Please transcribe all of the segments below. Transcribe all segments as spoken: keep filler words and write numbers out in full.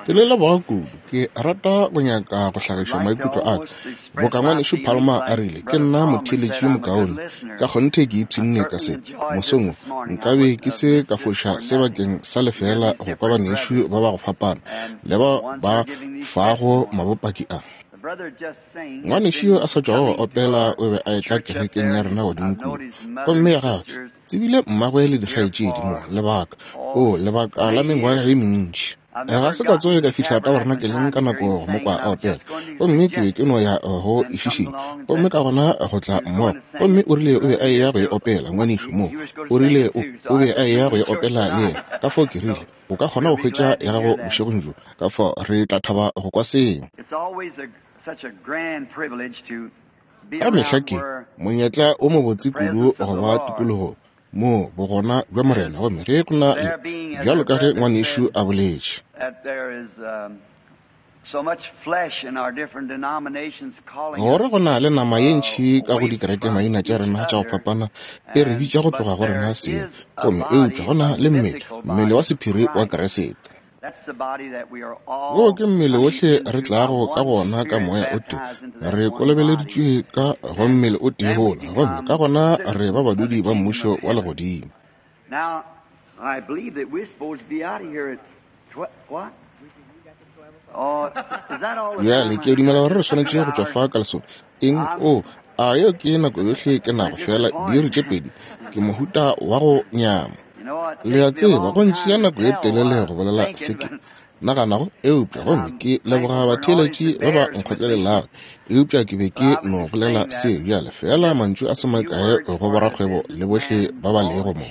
Ke le leboga kudu. Ke rata go nyaka go hlagiša maikutlo a ka. Boka ngwanešu Palmer a rile, ke nna motheeletši yo mokaone. Ka kgonthe ke ipshinne ka se. Mosong wo, nkabe ke se ka foša se bakeng sa lefeela go kwa banešu ba ba go fapana le ba ba fago mabopaki a. Ngwanešu yo a sa tšwago go opela o be a etla kerekeng ya rena godimo kua. Gomme ya gagwe, tsebile mmagwe le dikgaetšedi mo, lebaka, o, lebaka la mengwaga ye mentši. Ga se ka tsoge ka fihla tabernakeleng ka nako go mo kwa a opela. Gomme ke be ke no ya go e šišinya. Gomme ka gona go tla mmogo. Gomme o rile o be a eya go e opela, ngwanešu mo. O rile o, o be a eya go e opela le yena. Ka fao ke rile, o ka kgona go hwetša ya gago bošegong bjo. Ka fao re tla thaba go kwa seo. Ka mehla ke monyetla o mobotse kudu go ba tikologong moo bogona bja Morena, gomme ge go na le, bjalo ka ge ngwanešu a boletše, gore go na le nama ye ntši ka go dikerekemaina tša rena tša go fapana e re bitša go tloga go rena seng, gomme eupša go na le mmele, mmele wa sephiri wa Kriste. Wo ke mmele wohle re tlago ka gona ka moya o tee, re kolobeleditšwe ka go mmele o tee wola, gomme ka gona re ba badudi ba mmušo wa legodimo. Bjale ke dumela gore re swanetše go tšwa fa ka lesome. Eng? O, a yeo ke nako yohle ke nago, fela diiri tše pedi. Ke mohuta wa go nyama. Le a tseba, go ntšea nako ye telele go bolela se ke naganago, eupša gomme ke leboga batheeletši ba ba nkgotlelelago, eupša ke be ke no bolela se bjale fela mantšu a se makae go borakgwebo le bohle ba ba lego mo.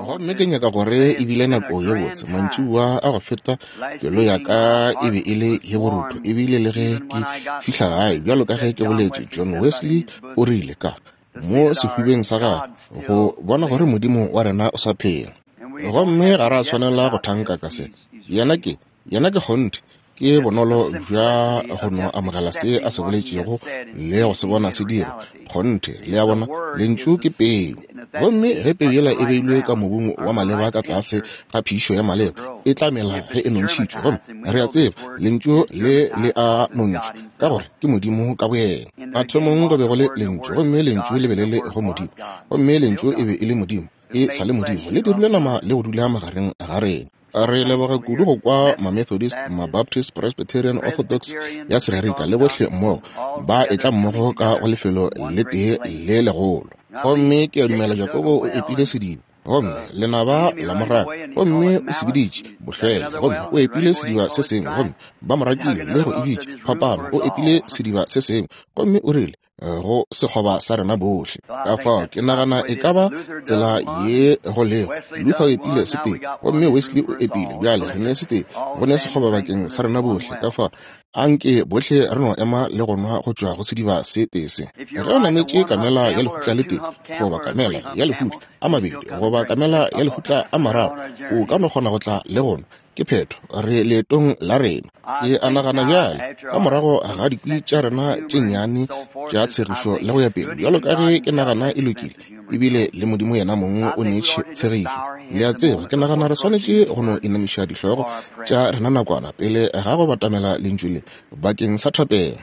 Gomme ke nyaka gore e bile nako ye botse mantšiboa a go feta, pelo ya ka e be e le ye borutho, ebile le ge ke fihla gae, bjalo ka ge ke boletše, John Wesley o rile ka mo sehubeng sa gagwe go bona gore Modimo wa rena o sa phela. Gomme ga ra swanela go thanka ka se. Yena ke, yena ke kgonthe, ke bonolo bja go no amogela se a se boletšego le go se bona se dira. Kgonthe, le a bona, lentšu ke peu. Gomme ge peu yela e beilwe ka mobung wa maleba ka tlase ga phišo ya maleba, e tla mela ge e nontšhitšwe. Gomme re a tseba lentšu le le a nontšhwa, ka gore ke Modimo ka boyena. Mathomong go be go le lentšu, gomme lentšu le be le le go Modimo, gomme lentšu e be e le Modimo, e sa le Modimo, le dirile nama le go dula magareng ga rena. Re leboga kudu go kwa ma-Methodist, ma-Baptist, Presbyterian, Orthodox ya Segerika le bohle mmogo ba etla mmogo ka go lefelo le tee le legolo. Gomme ke a dumela Jakobo o epile sediba, gomme lenaba la mo raka, gomme o se biditše bohlwele, gomme o epile sediba se sengwe, gomme ba mo rakile le go e bitša phapano. O epile sediba se sengwe, gomme o rile go sekgoba sa rena bohle. Ka fao ke nagana e ka ba tsela ye go lego. Luther o epile se tee, gomme Wesley o epile. Bjale re ne se tee, go ne sekgoba bakeng sa rena bohle. Ka fao anke bohle re no ema le go nwa go tšwa go sediba se tee se. Ge o nametše kamela ya lehutla le tee, goba kamela ya lehutla a mabedi, goba kamela ya lehutla a mararo, o ka no kgona go tla le go nwa. Ke phetho, re leetong la rena. Ke a nagana bjale, ka morago ga dikwi tša rena tše nnyane tša tshegišo le go ya pele, bjalo ka ge ke nagana e lokile, ebile le Modimo yena mong o neetše tshegišo. Le a tseba, ke nagana re swanetše go no inamiša dihlogo tša rena nakwana pele ga go batamela lentšu le bakeng sa thapelo.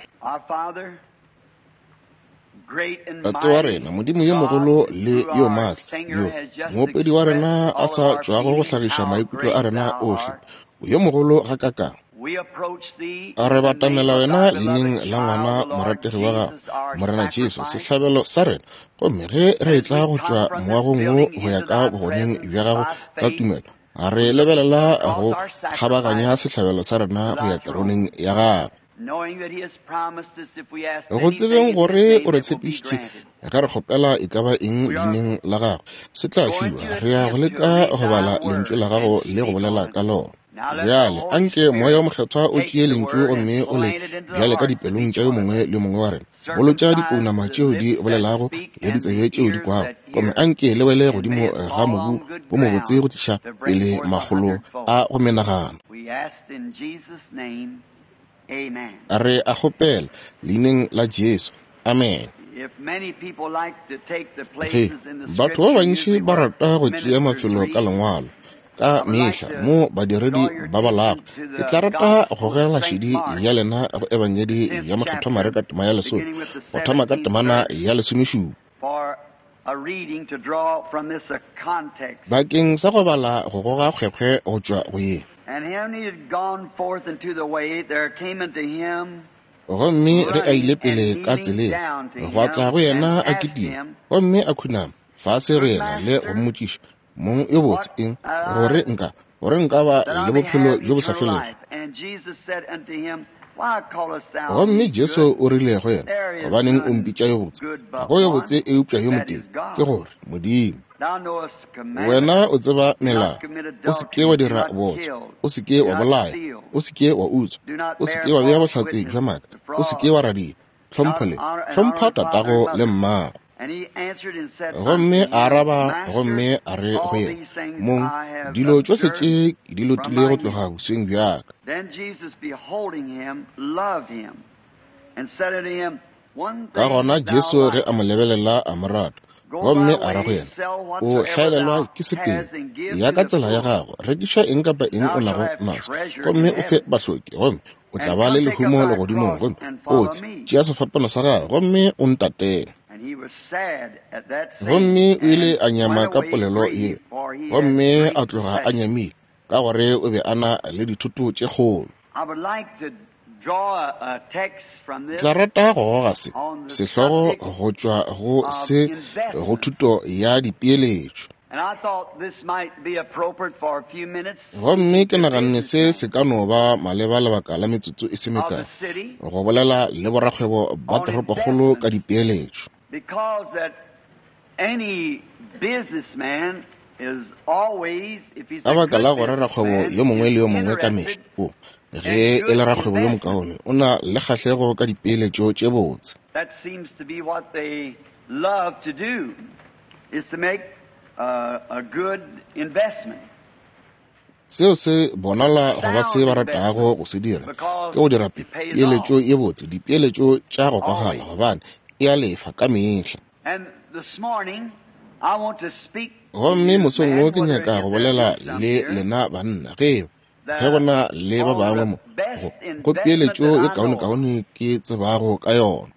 Tate wa rena, Modimo yo mogolo le yo maatla, yo moopedi wa rena a sa tšwago go hlagiša maikutlo a rena ohle, yo mogolo gakakang. Re batamela wena leineng la ngwana morategi wa gago, Morena Jesu, sehlabelo sa rena. Gomme ge re etla go tšwa moagong wo go ya ka bogoneng bja gago ka tumelo, re lebelela go kgabaganya sehlabelo sa rena go ya teroneng ya gago. Go tsebeng gore o re tshepišitše ge re kgopela e ka ba eng leineng la gagwe, se tla fiwa. Re ya go leka go bala lentšu la gago le go bolela ka lona. Bjale anke moya o mokgethwa o tšee lentšu gomme o le bjale ka dipelong tša yo mongwe le mongwe wa rena. Bolotša dipounama tšeo di bolelago le ditsebe tšeo di kwago, gomme anke le wele godimo ga mobu wo mobotse go tliša pele makgolo a go menagano. Re a kgopela leineng la Jesu. Amen. Ge batho ba bantši ba rata go tšea mafelo ka lengwalo, Ka mehla mo badiredi ba balago, ke tla rata go gogela šedi ya lena go Ebangedi ya Mokgethwa Mareka tema ya lesome, go thoma ka temana ya lesomešupa. Bakeng sa go bala go goga kgwekgwe go tšwa go ye. Gomme re a ile pele ka tseleng, gwa tla go yena a kitima, gomme a khunama fase go yena le go mmotšiša, mong yo botse eng, gore nka gore nka ba le bophelo bjo bo sa felego. Gomme Jesu o rile go yena, gobaneng o mpitša yo botse? Ga go yo botse eupša yo motee, ke gore Modimo. Wena o tseba melao, o se ke wa dira bootswa, o se ke wa bolaya, o se ke wa utswa, o se ke wa bea bohlatse bja maaka, o se ke wa radia, hlompho le hlompha tatago le mmago. Gomme a araba gomme a re go yena, mong, dilo tšohle tše ke di lotile go tloga bosweng bja ka. Ka gona Jesu ge a mo lebelela a mo rata, gomme a re go yena, o hlaelelwa ke setee, ya ka tsela ya gago, rekiša eng kapa eng o nago naso, gomme o fe bahloki, gomme o tla ba le lehumo legodimong, gomme o tle, tšea sefapano sa gago, gomme o ntatele. Gomme o ile a nyama ka polelo ye, gomme a tloga a nyamile, ka gore o be a na le dithoto tše kgolo. Tla rata go goga se sehlogo go tšwa go se go thuto ya dipeeletšo. Gomme ke naganne se se ka no ba maleba lebaka la metsotso e se mekae, go bolela le borakgwebo ba toropokgolo ka dipeeletšo. Ka baka la gore rakgwebo yo mongwe le yo mongwe ka mehla o, ge e le rakgwebo yo mokaone, o na le kgahlego ka dipeeletšo tše botse. Seo se bonala go ba se ba ratago go se dira, ke go dira peeletšo ye botse, dipeeletšo tša go kwagala, gobane e a lefa ka mehla. Gomme mosong wo ke nyaka go bolela le lena banna, ge ge go na le ba bangwe mo, go, go peeletšo ye kaonekaone ke tsebago ka yona.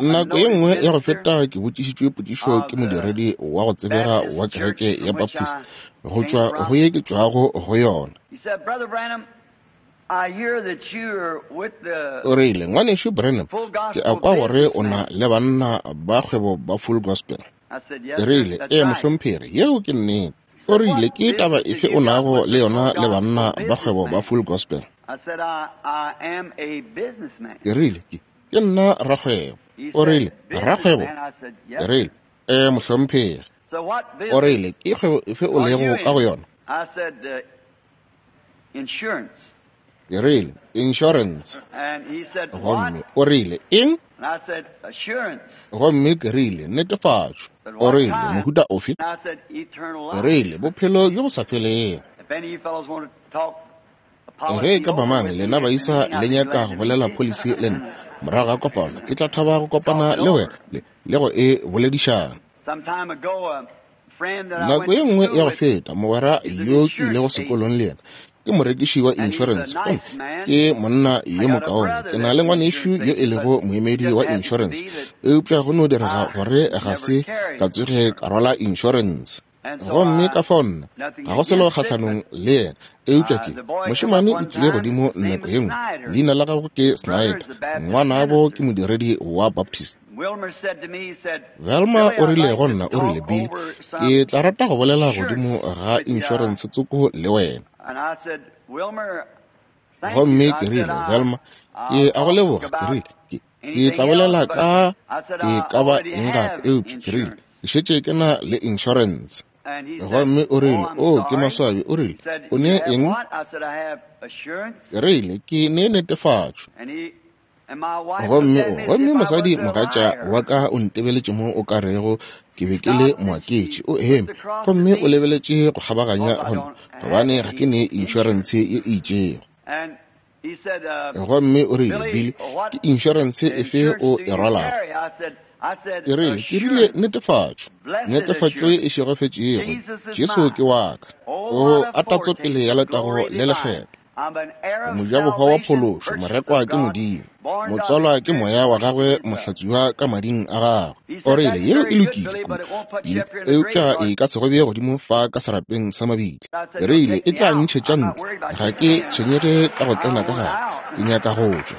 Nako ye nngwe ya go feta ke botšišitšwe potšišo ke modiredi wa go tsebega wa kereke ya Baptist go tšwa go ye ke tšwago go yona. O rile, ngwanešu Branham, ke a kwa gore o na le banna ba kgwebo ba Full Gospel. Ke rile, ee mohlomphegi, yeo ke nnete. O rile, ke taba efe o nago le yona le banna ba kgwebo ba Full Gospel? Ke rile, ke ke nna rakgwebo. O rile, rakgwebo? Ke rile, ee mohlomphegi. O rile, ke kgwebo efe o lego ka go yona? Ke rile, insurance. Gomme o rile, eng? Gomme ke rile, netefatšo. O rile, mohuta ofe? Ke rile, bophelo bjo bo sa felego. Ge ka ba mang lena baisa le nyaka go bolela policy le nna morago ga kopano, ke tla thaba go kopana le wena le, le go e boledišana. Nako ye nngwe ya go feta, mogwera yo ke ilego sekolong le yena ke morekiši wa insurance, gomme ke monna yo mokaone. Ke na le ngwanešu yo e lego moemedi wa insurance, eupša go no direga gore ga se ka tsoge ka rwala insurance. Gomme ka fao nna ga go selo kgahlanong le yena, eupša ke mošemane o tlile godimo nako ye nngwe, leina la gagwe ke Snyder, ngwanabo ke modiredi wa Baptist. Velma o rile go nna, o rile, Bill, ke tla rata go bolela godimo ga insurance tsoko le wena. Gomme ke rile, Velma, ke a go leboga. Ke rile, ke ke tla bolela ka e ka ba eng gape, eupša ke rile, ke šetše ke na le insurance. Gomme o rile, o ke maswabi. O rile, o ne eng? Ke rile, ke ne netefatšo. Gomme o gomme mosadi mogatša wa ka o ntebeletše mo o ka rego ke be ke le moaketši. O eme gomme o lebeletše go kgabaganya go nna, gobane ga ke ne insurance ye e itšego. Gomme o rile, Bill, ke insurance efe o e rwalago? Ke rile, ke rile netefatšo, netefatšo e šegofetšego, Jesu ke wa ka. O a tatso pele ya letago le lekgetho. Mojabohwa wa phološo, morekwa ke Modimo, motswalwa ke moya wa gagwe, mohlatswiwa ka mading a gagwe. O rile, yeo e lokile kudu, eupša e ka se go bee godimo fa ka serapeng sa mabitla. Ke rile, e tla ntšhetša ntle, ga ke tshwenyege ka go tsena ka gare, ke nyaka go tšwa.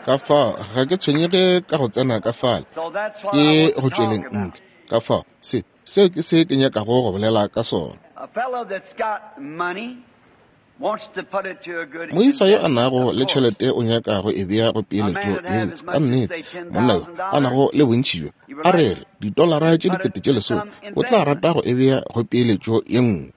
Ka fao ga ke tshwenyege ka go tsena ka fale, ke go tšweleng ntle. Ka fao se seo ke se ke nyakago go bolela ka sona. Moisa yo a nago le tšhelete o nyaka go e bea go peeletšo ye botse. Ka nnete, monna yo a nago le bontši bjo, a re re ditolara tše dikete tše lesome, o tla rata go e bea go peeletšo ye nngwe.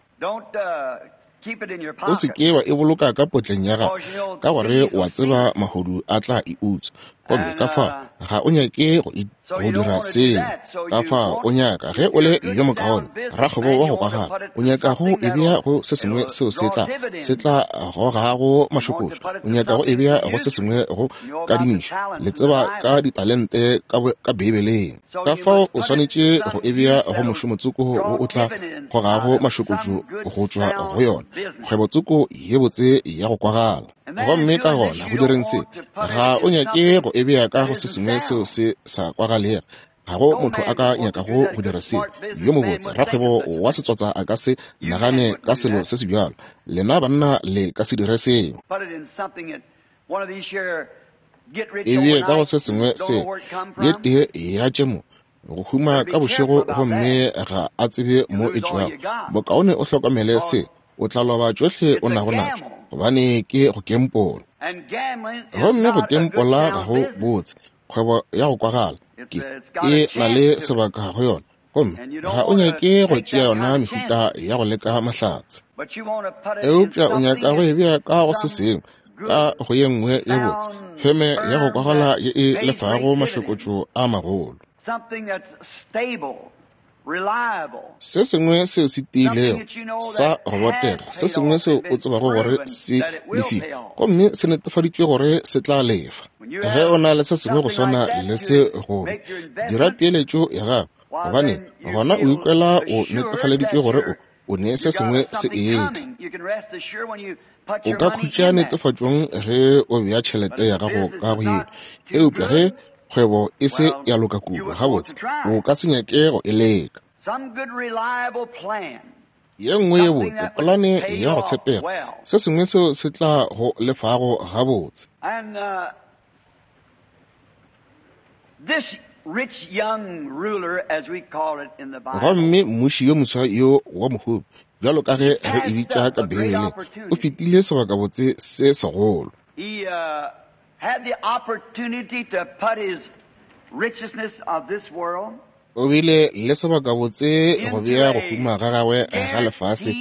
O se ke wa e boloka ka potleng ya gago, ka gore wa tseba mahodu a tla e utswa. Gomme ka fao ga o nyake go, go dira seo. Ka fao o nyaka, ge o le yo mokaone rakgwebo wa go kwagala, o nyaka go e bea go se sengwe seo se tla se tla gogago mašokotšo. O nyaka go e bea go se sengwe go kadimišo. Le tseba ka ditalente ka, ka Beibeleng. Ka fao o swanetše go e bea go mošomotsoko wo o tla gogago mašokotšo go tšwa go yona, kgwebotsoko ye botse ya go kwagala. Gomme ka gona go direng se, ga o nyake go e bea ka go se sengwe seo se sa kwagalega. Ga go motho a ka nyakago go dira seo. Yo mobotse rakgwebo wa setswatsa a ka se nagane ka selo se se bjalo. Lena banna le ka se dire seo. E bee ka go se sengwe se ye tee ya tše mo go huma ka bošego, gomme ga a tsebe mo e tšwago. Bokaone o hlokomele se, o tla loba tšohle o nago natšo, gobane ke go kempola. Gomme go kempola ga go botse kgwebo ya go kwagala, ke e na le sebaka go yona, gomme ga o nyake go tšea yona mehuta ya go leka mahlatse. Eupša o nyaka go e bea ka go se sengwe, ka go ye nngwe ye botse, feme ya go kwagala ye e lefago mašokotšo a magolo. Se sengwe seo se tiilego sa go botega, se sengwe seo o tsebago gore se lefile, gomme se netefaditšwe gore se tla lefa. Ge o na le se sengwe go swana le se, go dira peeletšo ya gago, gobane gona o ikwela o netefaleditšwe gore o o ne se sengwe se etla. O ka khutša netefatšong ge o bea tšhelete ya gago ka go yeo, eupša ge kgwebo e se ya loka kudu, gabotse o ka se nyake go e leka. Ye nngwe ye botse, polane ya go tshepega, se sengwe seo se tla go lefago gabotse. Gomme mmuši yo moswa yo wa mohumi, bjalo ka ge re e bitša ka Beibeleng, o fetile sebakabotse se segolo. O bile le sebakabotse go bea go huma ga gagwe ga lefase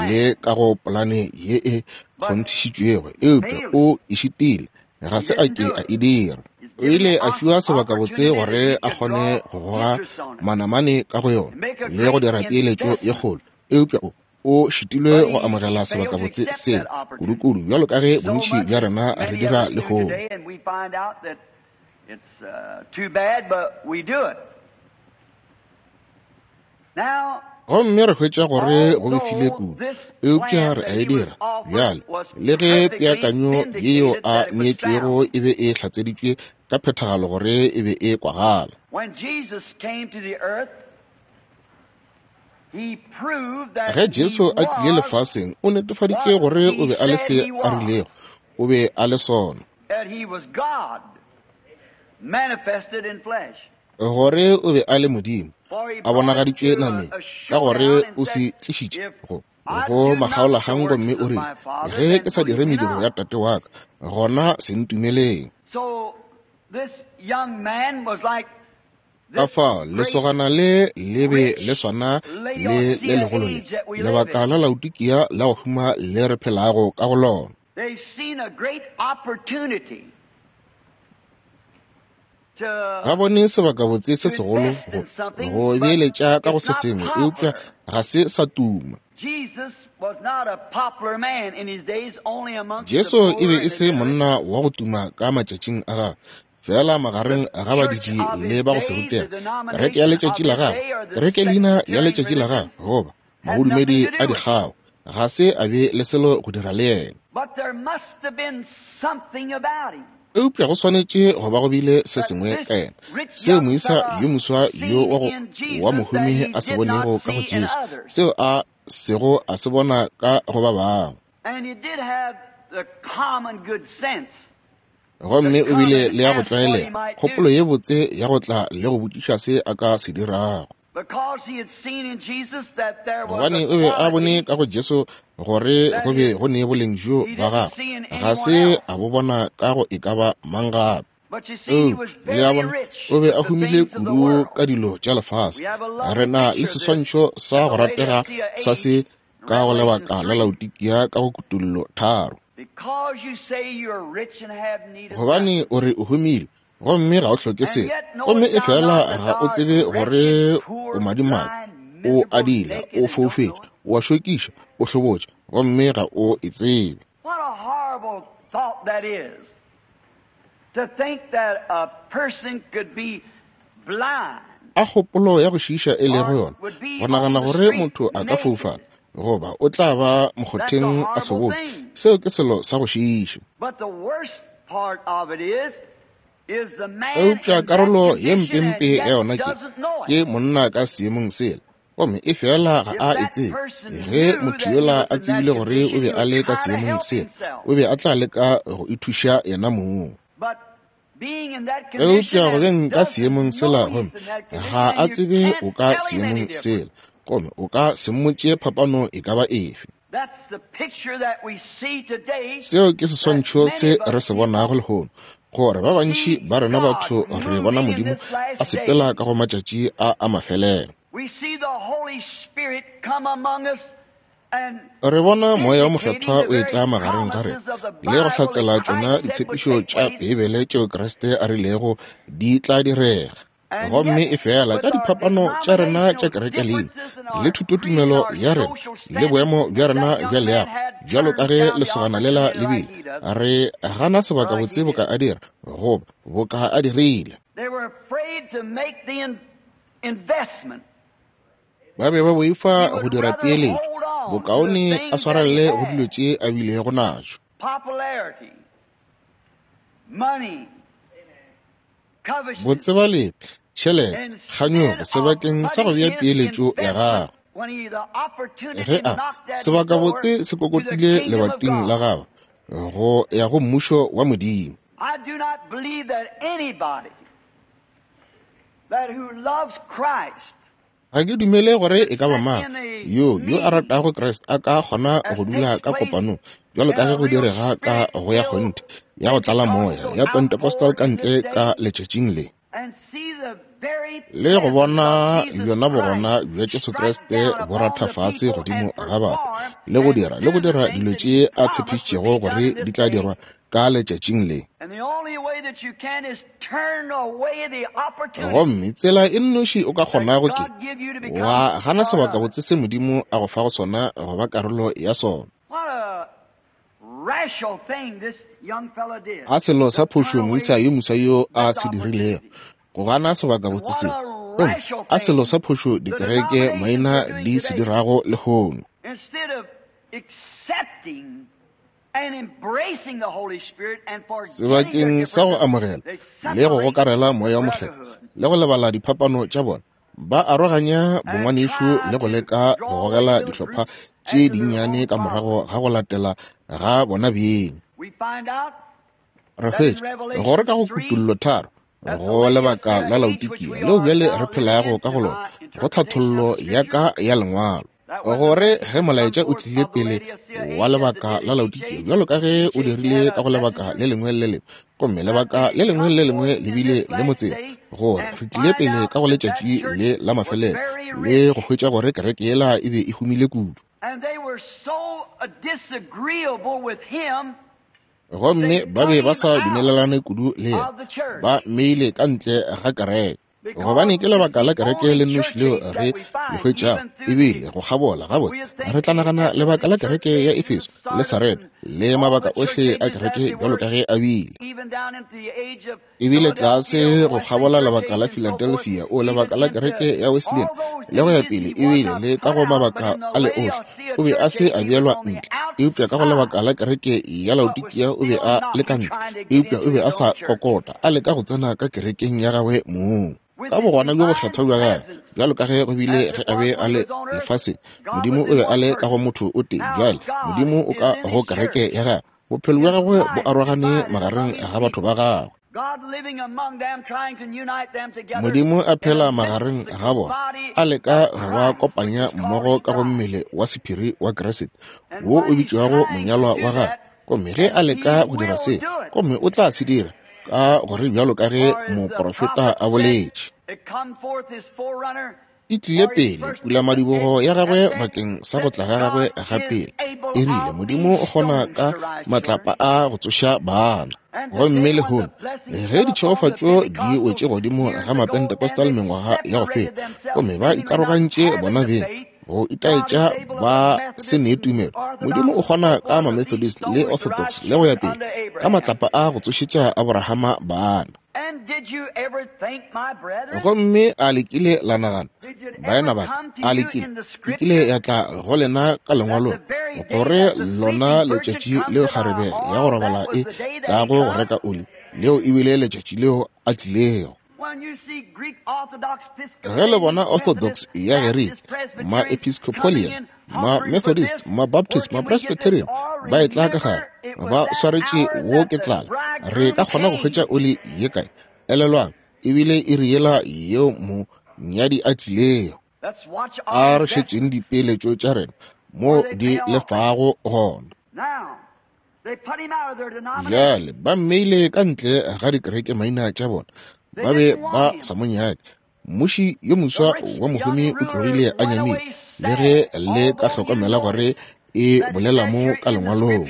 le ka go polane ye e kgonthišitšwego, eupša o e šitile, ga se a ke a e dira. O ile a fiwa sebakabotse gore a kgone go goga manamane ka go yona le go dira peeletšo ye kgolo, eupša o o šitilwe go amogela sebakabotse se kudu-kudu, bjalo ka ge bontši bja rena re dira lehono. Gomme re hwetša gore go befile kudu, eupša re a e dira. Bjale, le ge peakanyo yeo a neetšwego e be e hlatseditšwe ka phethagalo gore e be e kwagala. Ge Jesu a tlile lefaseng, o netefaditše gore o be a le se a rilego, o be a le sona, gore o be a le Modimo a bonagaditšwe nameng, ka gore o se tlišitše go go makgaolakgang, gomme o rile, ge ke sa dire mediro ya tate wa ka, gona se ntumeleng. Ka fao lesogana le le be le swana le le legolo le, lebaka la Laodikia la go huma le re phelago ka go lona. Ba bone sebakabotse se segolo go go beeletša ka go se sengwe, eupša ga se sa tuma. Jesu e be e se monna wa go tuma ka matšatšing a gagwe, fela magareng ga badidi le ba go se rutega. Kereke ya letšatši la gagwe, kereke leina ya letšatši la gagwe, goba mabodumedi a dikgao, ga se a be le selo go dira le yena. Eupša go swanetše go ba go bile se sengwe ka yena, seo moisa yo moswa yo wa go wa mohumi a se bonego ka go Jesu, seo a sego a se bona ka go ba bangwe. Gomme o bile le ya go tlwaelega, kgopolo ye botse ya go tla le go botšiša se a ka se dirago. Gobane o be a bone ka go Jesu gore go be go ne boleng bjo ba gagwe, ga se a bo bona ka go e ka ba mang gape. Eupša le a bona, o be a humile kudu ka dilo tša lefase. Re na le seswantšho sa go ratega sa se ka go lebaka la Laodikia ka go Kutollo tharo. Gobane o re o humile, gomme ga o hloke selo, gomme e fela ga o tsebe gore o madimabe, o adila, o foufetše, o a šokiša, o hlobotše, gomme ga o e tsebe. A kgopolo ya go šiiša e lego yona, go nagana gore motho a ka foufala goba o tla ba mokgotheng a hlobotše, seo ke selo sa go šiiša. Eupša karolo ye mpempe ya yona ke ke monna ka seemong sela, gomme e fela ga a e tsebe. Ge motho yola a tsebile gore o be a le ka seemong sela, o be a tla leka go ithuša yena mong. Eupša go beng ka seemong sela, gomme ga a tsebe o ka seemong sela, gomme o ka se mmotše phapano e ka ba efe. Seo ke seswantšho se re se bonago lehono, gore ba bantši ba rena batho re bona Modimo a sepela ka go matšatši a a mafelelo. Re bona Moya o Mokgethwa o etla magareng ga rena le go hlatsela tšona ditshepišo tša Beibele tšeo Kriste a rilego di tla direga. Gomme e fela ka diphapano tša rena tša kereke leina le thutotumelo ya rena le boemo bja rena bja leago, bjalo ka ge lesogana lela le bile, re gana sebaka botse boka a dira goba boka a dirile. Ba be ba boifa go dira peeletšo, bokaone a swarelele go dilo tše a bilego natšo. Botsebalepe, tšhelete, kganyogo sebakeng sa go bea peeletšo ya gagwe. Ge a sebaka botse se kokotile lebating la gagwe go ya go mmušo wa Modimo. Ga ke dumele gore e ka ba mang yo yo a ratago Kriste a ka kgona go dula ka kopanong bjalo ka ge go direga ka go ya kgonthe ya go tlala moya ya Pentecostal ka ntle ka letšatšing le, le go bona bjona bogona bja Jesu Kriste bo ratha fase godimo ga batho le go dira le go dira dilo tše a tshepišitšego gore di tla dirwa ka letšatšing le. Gomme tsela e nnoši o ka kgonago ke wa gana sebaka botse se Modimo a go fago sona go ba karolo ya sona. A selo sa phošo moisa yo moswa yo a se dirilego, go gana sebaka botse se. Gomme a selo sa phošo dikereke maina di se dirago lehono. Sebakeng sa go amogela le go gokarela Moya o Mokgethwa le go lebala diphapano tša bona, ba aroganya bongwanešu le go leka go gogela dihlopha tše dinnyane ka morago ga go latela ga bona beng. Re hwetša gore ka go Kutollo tharo go lebaka la Laodikia leo bjale re phelago ka go lona, go tlhathollo ya ka ya lengwalo, gore ge molaetša o tlile pele wa lebaka la Laodikia bjalo ka ge o dirile ka go lebaka le lengwe le lengwe, gomme lebaka le lengwe le lengwe le bile le motseng, gore re tlile pele ka go letšatši le la mafelelo le go hwetša gore kereke yela e be e humile kudu. Gomme ba be ba sa dumelelane kudu le yena, ba mmeile ka ntle ga kereke. Gobane ke lebaka la kereke le nnoši leo re le hwetšago, ebile go kgabola gabotse re tla nagana lebaka la kereke ya Efeso le Sareda le mabaka ohle a kereke bjalo ka ge a bile. Ebile tlase go kgabola lebaka la Philadelphia, o lebaka la kereke ya Wesleyan le go ya pele, ebile le ka go mabaka a le ohle o be a se a beelwa ntle, eupša ka go lebaka la kereke ya Laodikia o be a le ka ntle, eupša o be a sa kokota, a leka go tsena ka kerekeng ya gagwe mong. Ka bogona bjo bokgethwa bja gagwe, bjalo ka ge go bile ge a be a le lefaseng, Modimo o be a le ka go motho o tee. Bjale Modimo o ka go kereke ya gagwe, bophelo bja gagwe bo arogane magareng ga batho ba gagwe. Modimo a phela magareng ga bona, a leka go ba kopanya mmogo ka go mmele wa sephiri wa Kriste, wo o bitšwago monyalwa wa gagwe. Gomme ge a leka go dira se, gomme o tla se dira, ka gore bjalo ka ge moprofeta a boletše, e tlile pele pulamadibogo ya gagwe bakeng sa go tla ga gagwe ga pele. E rile Modimo o kgona ka matlapa a go tsoša bana. Gomme lehono ge ditšhegofatšo di wetše godimo ga Mapentecostal mengwaga ya go feta, gomme ba ikarogantše bona beng go itaetša ba se ne tumelo, Modimo o kgona ka ma-Methodist le Orthodox le go ya pele ka matlapa a go tsošetša Abrahama bana. Gomme a le kile la nagana, baena ba ka, a le kile, e kile ya tla go lena ka lengwalong gore lona letšatši leo kgarebe ya go robala e tlago go reka oli, leo ebile letšatši leo a tlilego. Ge le bona Orthodox ya Gerike, ma-Episcopalian, ma-Methodist, ma-Baptist, ma-Presbyterian ba e tla ka gare, ba swaretše wo ke tlala, re ka kgona go hwetša oli ye kae? Elelwang, ebile e re yela yeo monyadi a tlilego. A re šetšeng dipeeletšo tša rena mo di lefago gona. Bjale ba mmeile ka ntle ga dikereke maina tša bona, ba be ba sa mo nyake. Mmuši yo moswa wa mohumi o tlogile a nyamile, le ge le ka hlokomela gore e bolela mo ka lengwalong.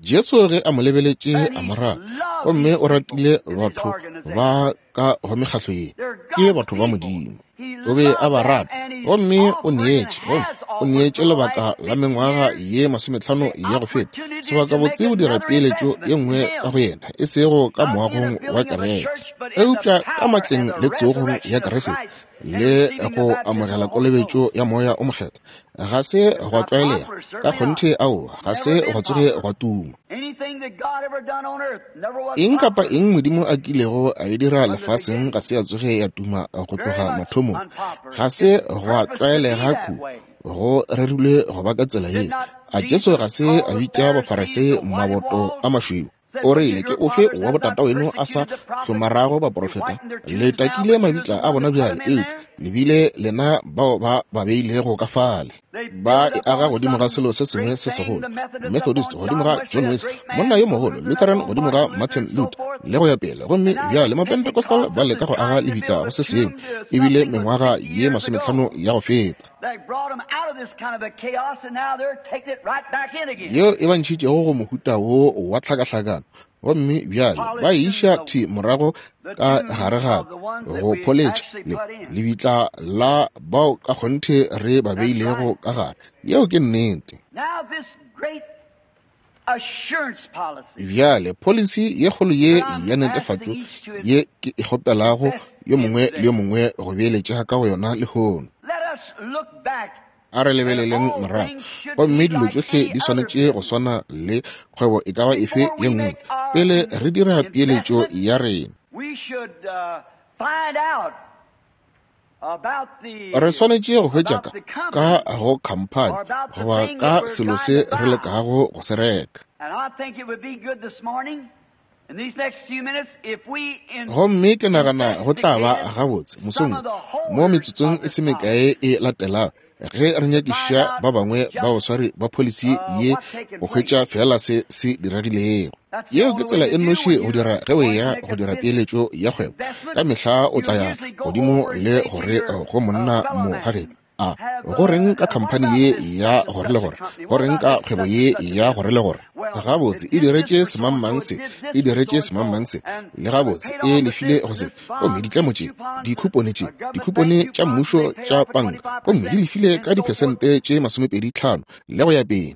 Jesu ge a mo lebeletše a mo rata, gomme o ratile batho ba ka go mekgahlo ye, ke batho ba Modimo. O be a ba rata, gomme o neetše, gomme o neetše lebaka la mengwaga ye masometlhano ya go feta, sebaka botse go dira peeletšo ye nngwe ka go yena, e sego ka moagong wa kereke, eupša ka matleng le tsogong ya Kriste le go amogela kolobetšo ya moya o mokgethwa. Ga se gwa tlwaelega ka kgonthe, aowa, ga se gwa tsoge gwa tuma. Eng kapa eng Modimo a kilego a e dira lefaseng ga se ya tsoge ya tuma go tloga mathomong. Ga se gwa tlwaelega kudu go rerilwe go ba ka tsela ye. A Jesu ga se a bitša Bafarisei maboto a mašweu? O rile, ke ofe wa botata weno a sa hlomarago baprofeta? Le takile mabitla a bona bjale, eupša le bile lena bao ba ba beilego ka fale. Ba e aga godimo ga selo se sengwe se segolo, Methodist godimo ga John Wesley, monna yo mogolo, Lutheran godimo ga Martin Luther, le go ya pele. Gomme bjale Mapentecostal ba leka go aga lebitla go se sengwe, ebile mengwaga ye masometlhano ya go feta, yeo e ba ntšhitšego go mohuta wo wa tlhakahlakano, gomme bjale ba iša thwi morago ka gare gape go pholetša le lebitla la bao ka kgonthe re ba beilego ka gare. Yeo ke nnete. Bjale policy ye kgolo ye ya netefatšo ye ke e kgopelago yo mongwe le yo mongwe go beeletša ka go yona lehono. A re lebeleleng morago, gomme dilo tšohle di swanetše go swana le kgwebo e ka ba efe ye nngwe. Pele re dira peeletšo ya rena, re swanetše go hwetša ka ka go khamphani goba ka selo se re lekago go se reka. Gomme ke nagana go tla ba gabotse mosong mo metsotsong e se mekae e latelago, ge re nyakiša ba bangwe ba baswari ba policy ye go hwetša fela se se diregilego. Yeo ke tsela e nnoši go dira ge o eya go dira peeletšo ya kgwebo. Ka mehla o tla ya godimo le gore go monna mo gageno, A go reng ka khamphani ye ya gore le gore? Go reng ka kgwebo ye ya gore le gore? Gabotse e diretše semangmang se, e diretše semangmang se, le gabotse e lefile go se. Gomme ditlemo tše, dikhupone tše, dikhupone tša mmušo tša panka, gomme di lefile ka diphesente tše masomepedi tlhano le go ya pele.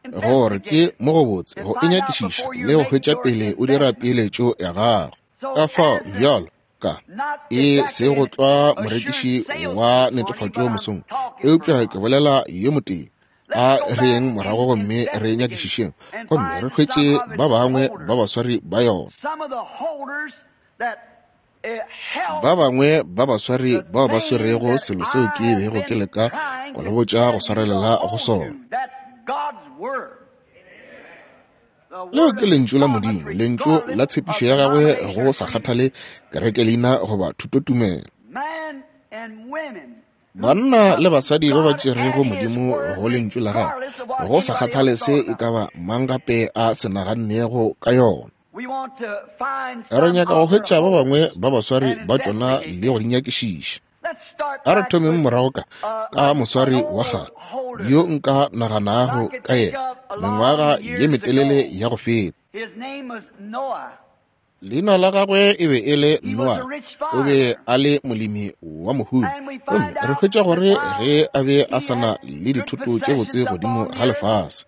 Gore ke mo go botse go e nyakišiša le go hwetša pele o dira peeletšo ya gago. Ka fao bjalo ka e se go tlwa morekiši wa netefatšo mosong, eupša ke bolela yo motee. A re yeng morago gomme re nyakišišeng gomme re hwetše ba bangwe ba baswari ba yona. Ba bangwe ba baswari bao ba swerego selo seo ke bego ke leka go le botša go swarelela go sona. Leo ke lentšu la Modimo, lentšu la tshepišo ya gagwe go sa kgathale kerekeleina goba thutotumelo. Banna le basadi ba ba tšerego Modimo go lentšu la gagwe, go sa kgathale se e ka ba mang gape a se nagannego ka yona. Re nyaka go hwetša ba bangwe ba baswari ba tšona le go di nyakišiša. A re thomeng morago ka ka moswari wa kgale yo nka naganago ka yena mengwaga ye metelele ya go feta. Leina la gagwe e be e le Noa, o be a le molemi wa mohumi. Gomme re hwetša gore ge a be a sa na le dithoto tše botse godimo ga lefase.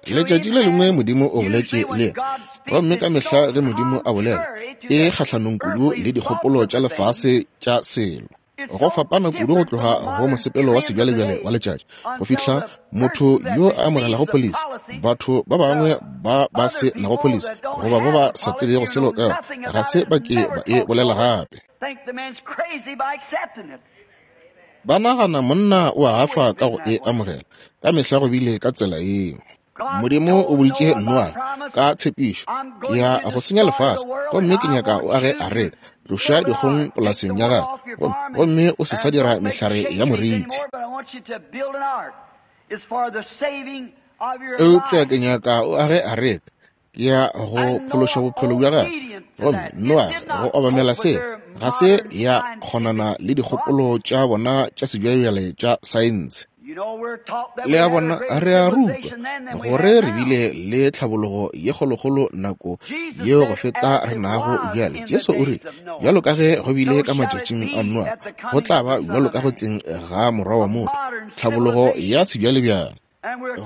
Letšatši le lengwe Modimo o boletše le yena, gomme ka mehla ge Modimo a bolela, e kgahlanong kudu le dikgopolo tša lefase tša selo. Go fapana kudu go tloga go mosepelo wa sebjalebjale wa letšatši go fihla motho yo a amogelago policy, batho ba bangwe ba ba se nago policy goba ba ba sa tsebego selo ka yona, ga se ba ke ba e bolela gape. Ba nagana monna o a gafa ka go e amogela. Ka mehla go bile ka tsela yeo. Modimo o boditše Noa ka tshepišo ya go senya lefase, gomme ke nyaka o age areka, tloša dikgong polaseng ya gago, gomme o se sa dira mehlare ya moriti. Eupša ke nyaka o age areka ya go phološa bophelo bja gago. Gomme Noa go obamela se ga se ya kgonana le dikgopolo tša bona tša sebjalebjale tša saense. Le a bona, re a rutwa gore re bile le tlhabologo ye kgolokgolo nako yeo go feta re nago bjale. Jesu o rile, bjalo ka ge go bile ka matšatšing a Noa, go tla ba bjalo ka go tleng ga morwa wa motho, tlhabologo ya sebjalebjale.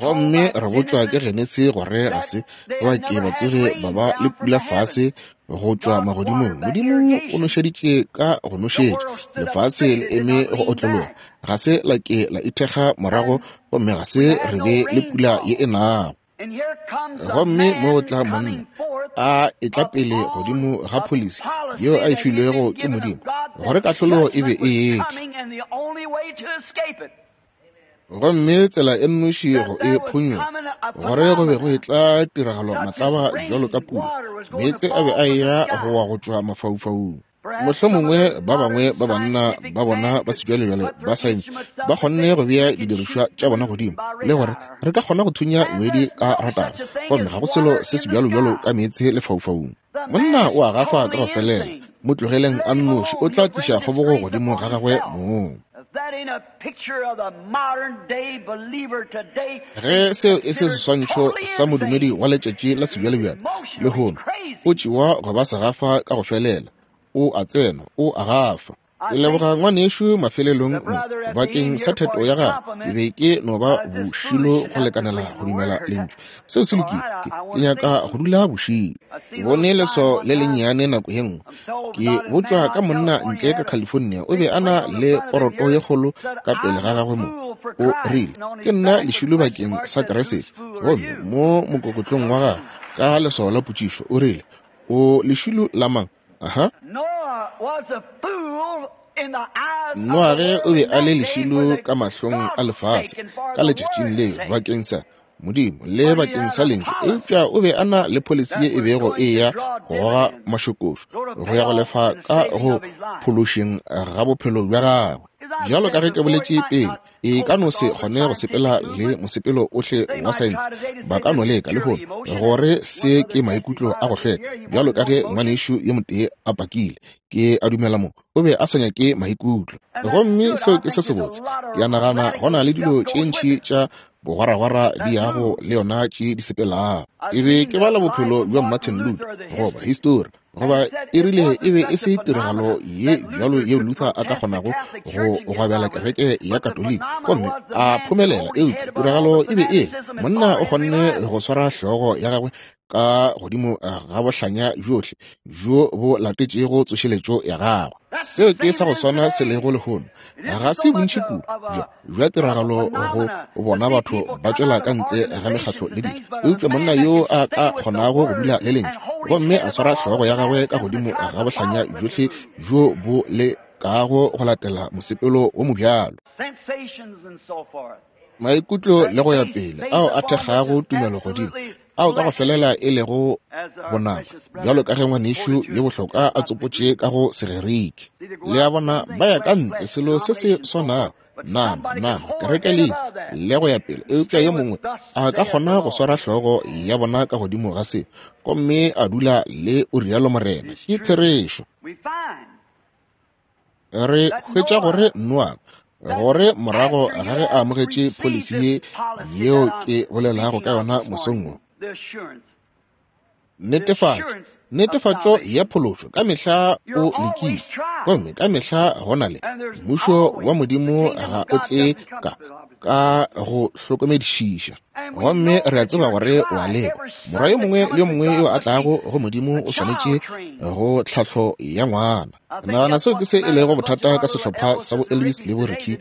Gomme re botšwa ke Genesi gore ga se ba ke ba tsoge ba ba le pula fase go tšwa magodimong. Modimo o nošeditše ka go nošetša, lefase le eme go otlologa, ga se la ke la ithekga morago, gomme ga se re be le pula ye e nago. Gomme mo go tla monna a etla pele godimo ga policy yeo a e filwego ke Modimo gore kahlolo e be e etla. Gomme tsela e nnoši go e phonyoga, gore go be go etla tiragalo matlaba bjalo ka pula, meetse a be a eya go wa go tšwa mafaufaung. Mohlomongwe ba bangwe ba banna ba bona ba sebjalebjale ba saense ba kgonne go bea didirišwa tša bona godimo le gore re ka kgona go thunya ngwedi ka ratara, gomme ga go selo se sebjalobjalo ka meetse lefaufaung. Monna o a gafa ka go felela, mo tlogeleng a nnoši, o tla tliša kgobogo godimo ga gagwe mong. Ge seo e se seswantšho sa modumedi wa letšatši la sebjalebjale lehono, o tšewa go ba segafa ka go felela, o a tsena, o a gafa. Ke leboga ngwanešu mafelelong mo bakeng sa theto ya gagwe. Ke be ke no ba bošilo go lekanela go dumela lentšu. Seo se lokile, ke nyaka go dula bošilo. Ke bone leswao le lennyane nako ye nngwe. Ke botšwa ka monna ntle ka California, o be a na le poroto ye kgolo ka pele ga gagwe mo. O rile, ke nna lešilo bakeng sa Keresete. Gomme mo mokokotlong wa gagwe ka leswao la potšišo, o rile, o lešilo la mang? Aha. Noage o be a le lešilo ka mahlong a lefase ka letšatšing leo bakeng sa Modimo le bakeng sa lentšu, eupša o be a na le policy ye e bego e ya go goga mašokošo go ya go lefa ka go phološeng ga bophelo bja gagwe. Bjalo ka ge ke boletše pele, E ka no se kgone go sepela le mosepelo ohle wa saense. Ba ka no leka lehono gore se ke maikutlo a go hlweka, bjalo ka ge ngwanešu yo motee a pakile. Ke a dumela mo o be a sa nyake maikutlo. Gomme seo ke se sebotse. Ke a nagana go na le dilo tše ntši tša bogwaragwara di yago le yona tše di sepelago. E be ke bala bophelo bja Martin Luther goba histori, goba e rile e be e se tiragalo ye bjalo yeo Luther a ka kgonago go gwabela kereke ya Katoliki gomme a phomelela, eupša tiragalo e be e monna o kgonne go swara hlogo ya gagwe ka godimo ga bohlanya bjohle bjo bo latetšego tsošeletšo ya gagwe. Seo ke sa go swana se lego lehono. Ga se bontši kudu bja bja tiragalo go bona batho ba tšwela ka ntle ga mekgatlo le dilo, eupša monna yo a ka kgonago go dula le lentšu gomme a swara hlogo ya gagwe ka godimo ga bohlanya bjohle bjo bo lekago go latela mosepelo wo mobjalo, maikutlo le go ya pele ao a thekgago tumelo godimo, ao ka go felela e lego bonama, bjalo ka ge ngwanešu yo bohlokwa a tsopotše ka go Segerike. Le a bona, ba ya ka ntle selo se se swanago, nama nama kereke le le go ya pele, eupša yo mongwe a ka kgona go swara hlogo ya bona ka godimo ga se gomme a dula le o rialo Morena. Ke therešo. Re hwetša gore Noa, gore morago ga ge a amogetše pholisi ye yeo ke bolelago ka yona mosong wo, netefatšo netefatšo ya phološo ka mehla o lekile, gomme ka mehla go na le mmušo wa Modimo ga o tle ka ka go hlokomedišiša. Gomme re a tseba gore o a lekwa. Morwa yo mongwe le yo mongwe yo a tlago go Modimo o swanetše go tlhahlo ya ngwana. Nagana seo ke se e lego bothata ka sehlopha sa bo Elvis le bo Ricky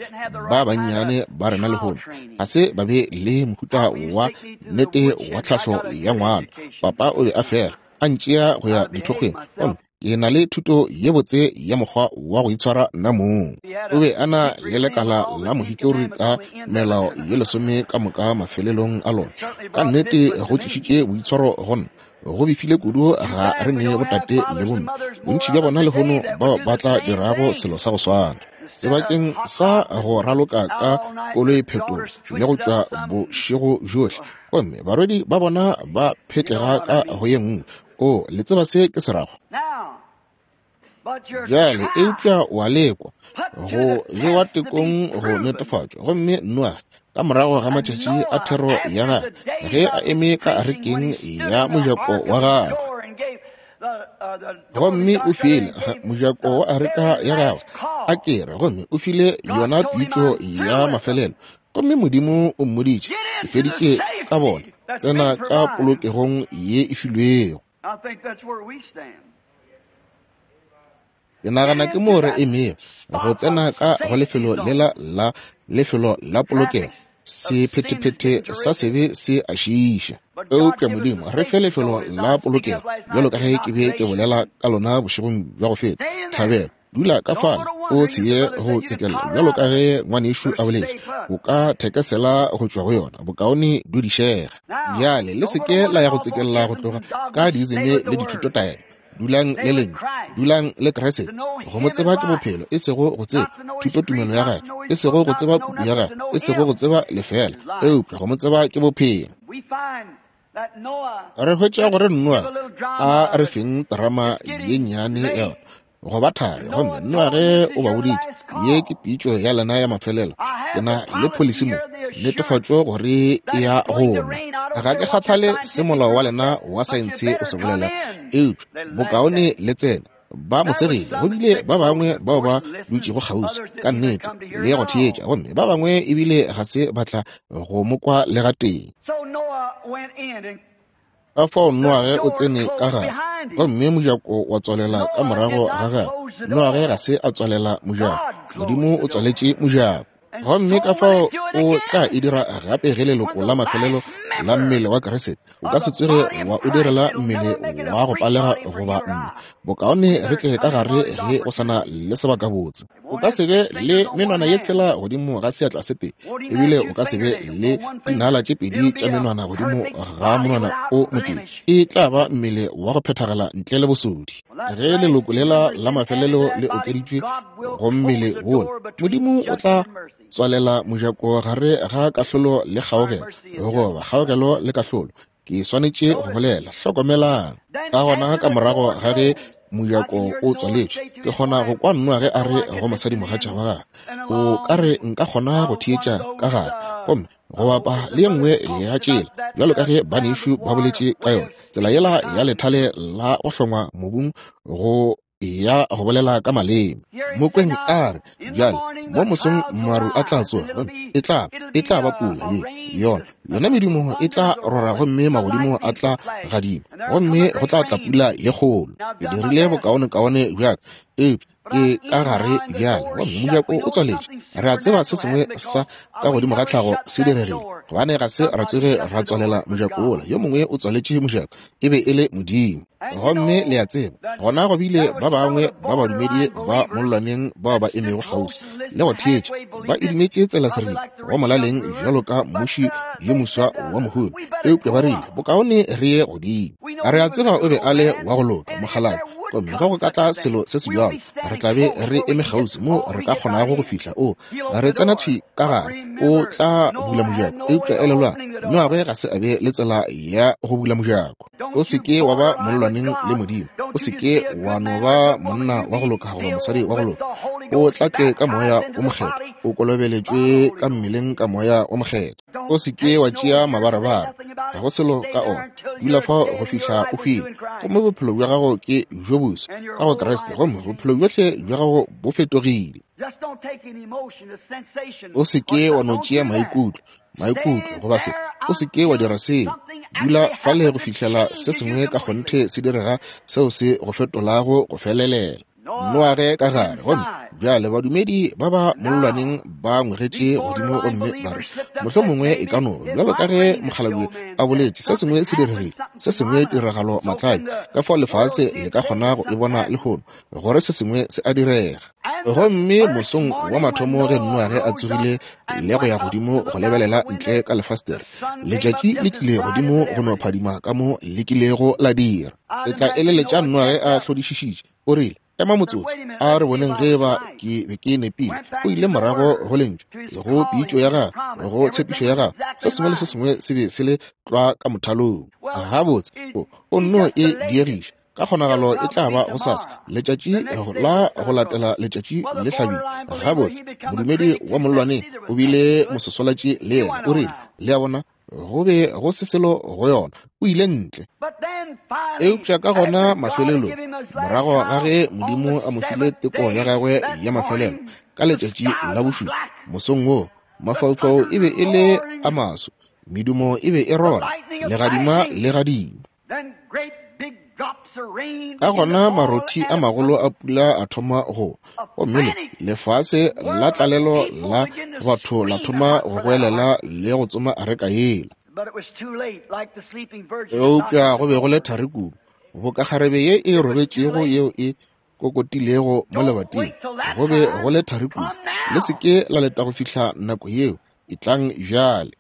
ba bannyane ba rena lehono. Ga se ba be le mohuta wa nnete wa tlhahlo ya ngwana. Papa o be a fela a ntšea go ya dithokgweng, gomme ke na le thuto ye botse ya mokgwa wa go itshwara nna mong. O be a na le lekala la mohikori ka melao ye lesome ka moka mafelelong a lona. Ka nnete go tlišitše boitshwaro go nna. Go befile kudu ga re ne botate le bomme. Bontši bja bona lehono bao ba tla dirago selo sa go swana. Sebakeng sa go raloka ka koloi phetolo le go tšwa bošego bjohle, gomme barwedi ba bona ba phetlega ka go ye nngwe. O le tseba se ke se rago. Bjale eupša wa lekwa go bewa tekong go netefatšwa. Gomme Noa ka morago ga matšatši a thero ya gagwe, ge a eme ka arekeng ya mojako wa gagwe, gomme o file mojako wa areka ya gagwe a kere, gomme o file yona pitšo ya mafelelo, gomme Modimo o mmoditše, ke feditše ka bona, tsena ka polokegong ye e filwego. Ke nagana ke moo re emego, go tsena ka go lefelo lela la lefelo la polokego. Sephethephethe sa sebe se a šiiša, eupša Modimo re fe lefelo la polokego, bjalo ka ge ke be ke bolela ka lona bošegong bja go feta. Tlhabelo, dula ka fale, o se ye go tsekella, bjalo ka ge ngwanešu a boletše, o ka thekesela go tšwa go yona, bokaone dudišega. Bjale le se ke la ya go tsekella go tloga ka diizeme le dithutotaelo. Dulang le lentšu, dulang le Kriste. Go mo tseba ke bophelo, e sego go tseba thutotumelo ya gagwe, e sego go tseba puku ya gagwe, e sego go tseba lefela, eupša go mo tseba ke bophelo. Re hwetša gore Noa a re feng terama ye nnyane ya go ba thari, gomme Noa ge o ba boditše, ye ke pitšo ya lena ya mafelelo, ke na le pholisi mo, netefatšo gore e ya gona. Ga ke kgathale se molao wa lena wa saense o se bolela, eupša bokaone le tsena. Ba mo segile, go bile ba bangwe bao ba dutšego kgauswi ka nnete le go theetša, gomme ba bangwe ebile ga se ba tla go mo kwa le gatee. Ka fao Noage o tsene ka gare, gomme mojako wa tswalela ka morago ga gagwe. Noage ga se a tswalela mojako, Modimo o tswaletše mojako. Gomme ka fao o tla e dira gape ge leloko la mafelelo la mmele wa Kriste o ka se tsoge wa o direla mmele wa go palega goba nna. Bokaone re tle ka gare ge go sana le sebakabotse. O ka se be le menwana ye tshela godimo ga seatla se tee, ebile o ka se be le dinala tše pedi tša menwana godimo ga monwana o motee. E tla ba mmele wa go phethagala ntle le bosodi. Ge leloko lela la mafelelo le okeditšwe go mmele wola, Modimo o tla tswalela mojako gare ga kahlolo le kgaogelo, goba kgaogelo le kahlolo. Ke swanetše go bolela. Hlokomelang. Ka gona ka morago ga ge mojako o tswaletšwe, ke kgona go kwa Noa ge a re go mosadimogatša wa gagwe, o ka re nka kgona go theetša ka gare, gomme go bapa le ye nngwe ya tšela, bjalo ka ge banešu ba boletše ka yona, tsela yela ya lethale la go hlongwa mobung go ya go bolela ka maleme. Mokweng a re, bjale mo mosong maru a tla tsoga, gomme e tla e tla ba pula ye yona yona medumo e tla rora, gomme magodimo a tla gadima, gomme go tla tla pula ye kgolo. Ke dirile bokaonekaone bjaka, eupša ke ka gare bjale, gomme mojako o tswaletše. Re a tseba se sengwe sa ka godimo ga tlhago se diregile, gobane ga se ra tsoge ra tswalela mojako wola. Yo mongwe o tswaletše mojako, e be e le Modimo. Gomme le a tseba, gona go bile ba bangwe ba badumedi ba mollwaneng bao ba emego kgauswi le go theetša, ba e dumetše tsela seripa go molaleng bjalo ka mmuši yo moswa wa mohumi, eupša ba rile bokaone re ye godimo. Re a tseba o be a le wa go loka mokgalabje, gomme ge go ka tla selo se se bjalo, re tla be re eme kgauswi mo re ka kgonago go fihla. O re tsena thwi ka gare, o tla bula mojako. Eupša elelwang, Noage ga se a be le tsela ya go bula mojako. O se ke wa ba mollwaneng le Modimo. O se ke wa no ba monna wa go loka goba mosadi wa go loka. O tlatšwe ka moya o mokgethwa, o kolobeletšwe ka mmeleng ka moya o mokgethwa. O se ke wa tšea mabarebare, ga go selo ka ona. Dula fao go fihla o hwile, gomme bophelo bja gago ke bjo boswa ka go Kriste, gomme bophelo bjohle bja gago bo fetogile. O se ke wa no tšea maikutlo, maikutlo goba se. O se ke wa dira seo. Dula fale go fihlela se sengwe ka kgonthe se direga seo se go fetolago go felelela. Noage ka gare, gomme bjale badumedi ba ba mollwaneng ba ngwegetše godimo gomme ba re, mohlomongwe e ka no ba bjalo ka ge mokgalabje a boletše, se sengwe se diregile, se sengwe tiragalo matladi, ka fao lefase le ka kgona go e bona lehono, gore se sengwe se a direga. Gomme mosong wa mathomo ge Noage a tsogile le go ya godimo go lebelela ntle ka lefastere, letšatši le tlile godimo go no phadima ka mo le kilego la dira. E tla eleletša Noage a hlodišišitše, o rile, ema motsotso, a re boneng ge ba ke be ke nepile. O ile morago go lentšu, go pitšo ya gagwe, go tshepišo ya gagwe. Se sengwe le se sengwe se be se le tlwa ka mothalong. Gabotse, o, o nno e diegiša. Ka kgonagalo e tla ba gosasa, letšatši la go latela letšatši le hlabile. Gabotse, modumedi wa mollwaneng o bile mososolatši le yena. O rile, le a bona, go be go se selo go yona. O ile ntle. Eupša ka gona mafelelong, morago ga ge Modimo a mo file teko ya gagwe ya mafelelo ka letšatši la bošupa mosong woo, mafaufau e be e le a maso, medumo e be e rora, legadima le gadima. Ka gona marothi a magolo a pula a thoma go, gomme le lefase la tlalelo la batho la thoma go goelela le go tsoma areka yela. Eupša go be go le thari kudu, boka kgarebe ye e robetšego yeo e kokotilego mo lebating. Go be go le thari kudu. Le se ke la leta go fihla nako yeo, etlang bjale.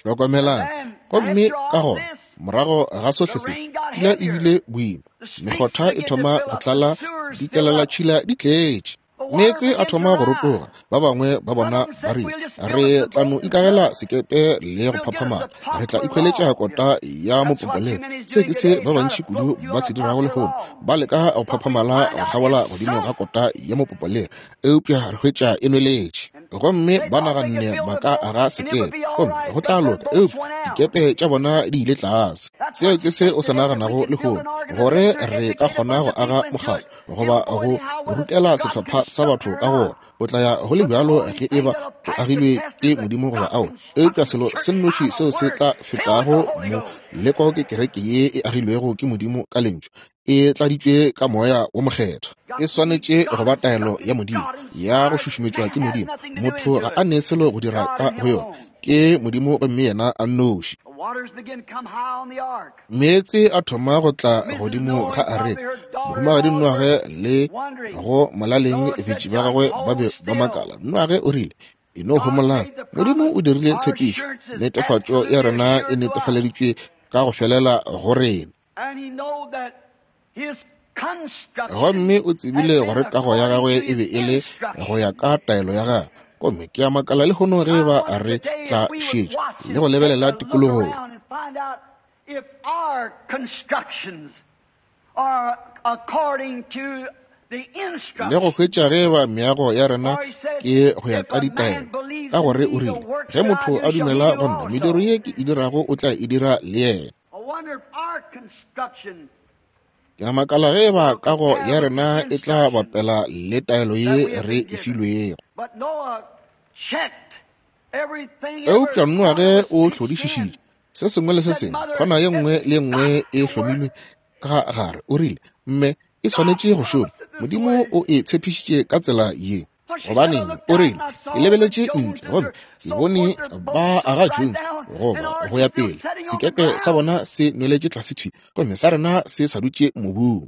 Hlokomelang. Gomme ka gona morago ga sohle se, pula e bile boima, mekgotha e thoma go tlala, dikelelatšhila di tletše, meetse a thoma go rotoga. Ba bangwe ba bona ba rile, re tla no ikagela sekepe le go phaphamala, re tla ikhweletša kota ya mopopolelo. Se ke se ba bantši kudu ba se dirago lehono, ba leka go phaphamala go kgabola godimo ga kota ya mopopolelo, eupša re hwetša e nweletše. Gomme ba naganne ba ka aga sekepe, gomme go tla loka, eupša dikepe tša bona di ile tlase. Seo ke se o se naganago lehono, gore re ka kgona go aga mokgatlo goba go rutela sehlopha sa batho ka gona. O tla ya go le bjalo ge e ba o agilwe ke Modimo goba ao. Eupša selo se nnoši seo se tla fetago mo leko ke kereke ye e agilwego ke Modimo ka lentšu, e tladitšwe ka moya wo mokgethwa. E swanetše go ba taelo ya Modimo ya go šušumetšwa ke Modimo. Motho ga a ne selo go dira ka go yona, ke Modimo gomme yena a nnoši. Meetse a thoma go tla godimo ga areka. Mohumagadi Noage le go molaleng betši ba gagwe ba be ba makala. Noage o rile, e no homolang, Modimo o dirile tshepišo, netefatšo ya rena e netefaleditšwe ka go felela go rena. Gomme o tsebile gore kago ya gagwe e be e le go ya ka taelo ya gagwe. Gomme ke a makala lehono ge ba re tla šetša le go lebelela tikologong. Le go hwetša ge ba meago ya rena ke go ya ka ditaelo, ka gore o rile, ge motho a dumela go nna, mediro ye ke e dirago o tla e dira le yena. Ke a makala ge ba kago ya rena e tla bapela le taelo ye re e filwego. Eupša Noa ge o hlodišišitše se sengwe le se sengwe, khona ye nngwe le ye nngwe e hlomilwe ka gare, o rile, mme e swanetše go šoma. Modimo o e tshepišitše ka tsela ye. Gobaneng, o rile, ke lebeletše ntle gomme ke bone ba aga Jones goba go ya pele, sekepe sa bona se nweletše tlase thwi, gomme sa rena se sa dutše mobung.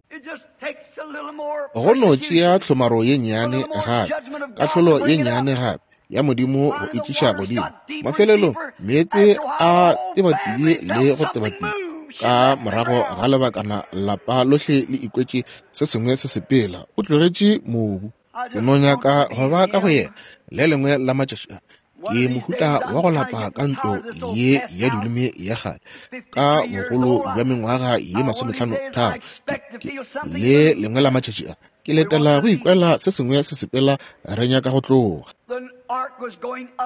Go no tšea tlhomaro ye nnyane gape, kahlolo ye nnyane gape ya Modimo go e tliša godimo. Mafelelong meetse a tebatebile le go tebateba. Ka morago ga lebakana lapa lohle le ikwetše se sengwe se sepela. O tlogetše mobu. Ke no nyaka go ba ka go yena le lengwe la matšatši a. Ke mohuta wa go lapa ka ntlo ye ya dileme ya kgale, ka bogolo bja mengwaga ye masomehlano tharo. Le lengwe la matšatši a ke letela go ikwela se sengwe se sepela, re nyaka go tloga.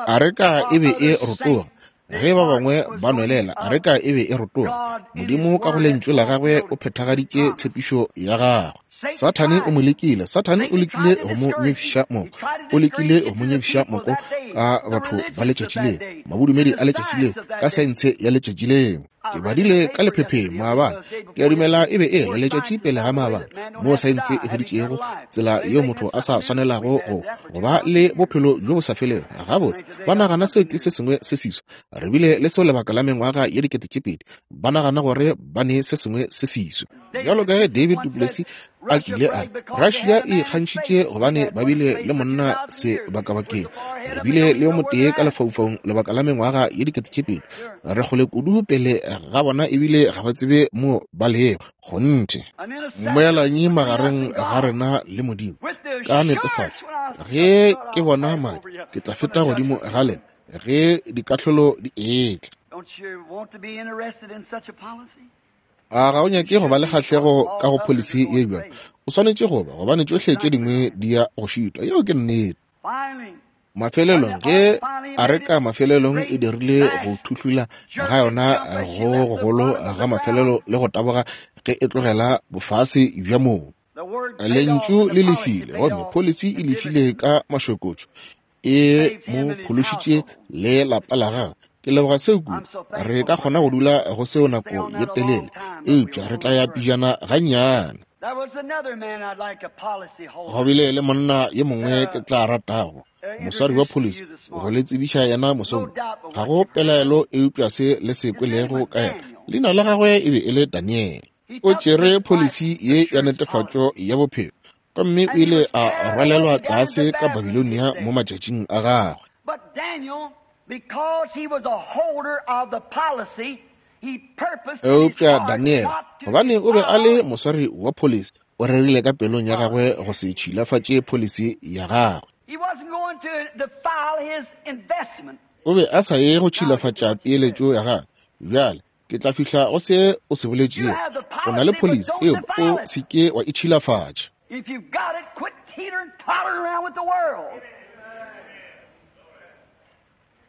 Areka e be e rotoga. Ge ba bangwe ba nwelela, areka e be e rotoga. Modimo ka go lentšu la gagwe o phethagaditše tshepišo ya gagwe. Sathane o mo lekile. Sathane o lekile go mo nyefiša moko. O lekile go mo nyefiša moko ka batho ba letšatši leo, mabodumedi a letšatši leo, ka saense ya letšatši leo. Ke badile ka lephepheng maabane, ke a dumela e be e le letšatši pele ga maabane, moo saense e hweditšego tsela yeo motho a sa swanelago go go ba le bophelo bjo bo sa felego. Gabotse, ba nagana seo ke se sengwe se seswa. Re bile le seo lebaka la mengwaga ye dikete tše pedi. Ba nagana gore ba ne se sengwe se seswa. Bjalo ka ge David Duplessis a kile a re, Russia e ikgantšhitše gobane ba bile le monna sebakabakeng. Re bile le yo motee ka lefaufaung lebaka la mengwaga ye dikete tše pedi. Re kgole kudu pele ga bona ebile ga ba tsebe mo ba lego. Kgonthe, moelanyi magareng ga rena le Modimo. Ka netefatšo, ge ke bona madi, ke tla feta godimo ga lena ge dikahlolo di etla. A ga o nyake go ba le kgahlego ka go policy ye bjalo? O swanetše go ba, gobane tšohle tše dingwe di ya go šitwa. Yeo ke nnete. Mafelelong, ge areka mafelelong e dirile go thuhlula ga yona go gogolo ga mafelelo le go taboga ge e tlogela bofase bja mobu, lentšu le lefile, gomme policy e lefile ka mašokotšo, e mo phološitše le lapa la gagwe. Ke leboga seo kudu. Re ka kgona go dula go seo nako ye telele, eupša re tla ya pijana gannyane. Go bile le monna yo mongwe ke tla ratago, moswari wa policy, go le tsebiša yena mosong. Ga go pelaelo eupša se le se kwelego ka yena. Leina la gagwe e be e le Daniel. O tšere policy ye ya netefatšo ya bophelo, gomme o ile a rwalelwa tlase ka Babilonia mo matšatšing a gagwe. Eupša Daniel, gobane o be a le moswari wa policy, o rerile ka pelong ya gagwe go se tšhilafatše policy ya gagwe. O be a sa ye go tšhilafatša peeletšo ya gagwe. Bjale ke tla fihla go se o se boletšego. O na le policy, eupša o se ke wa e tšhilafatša.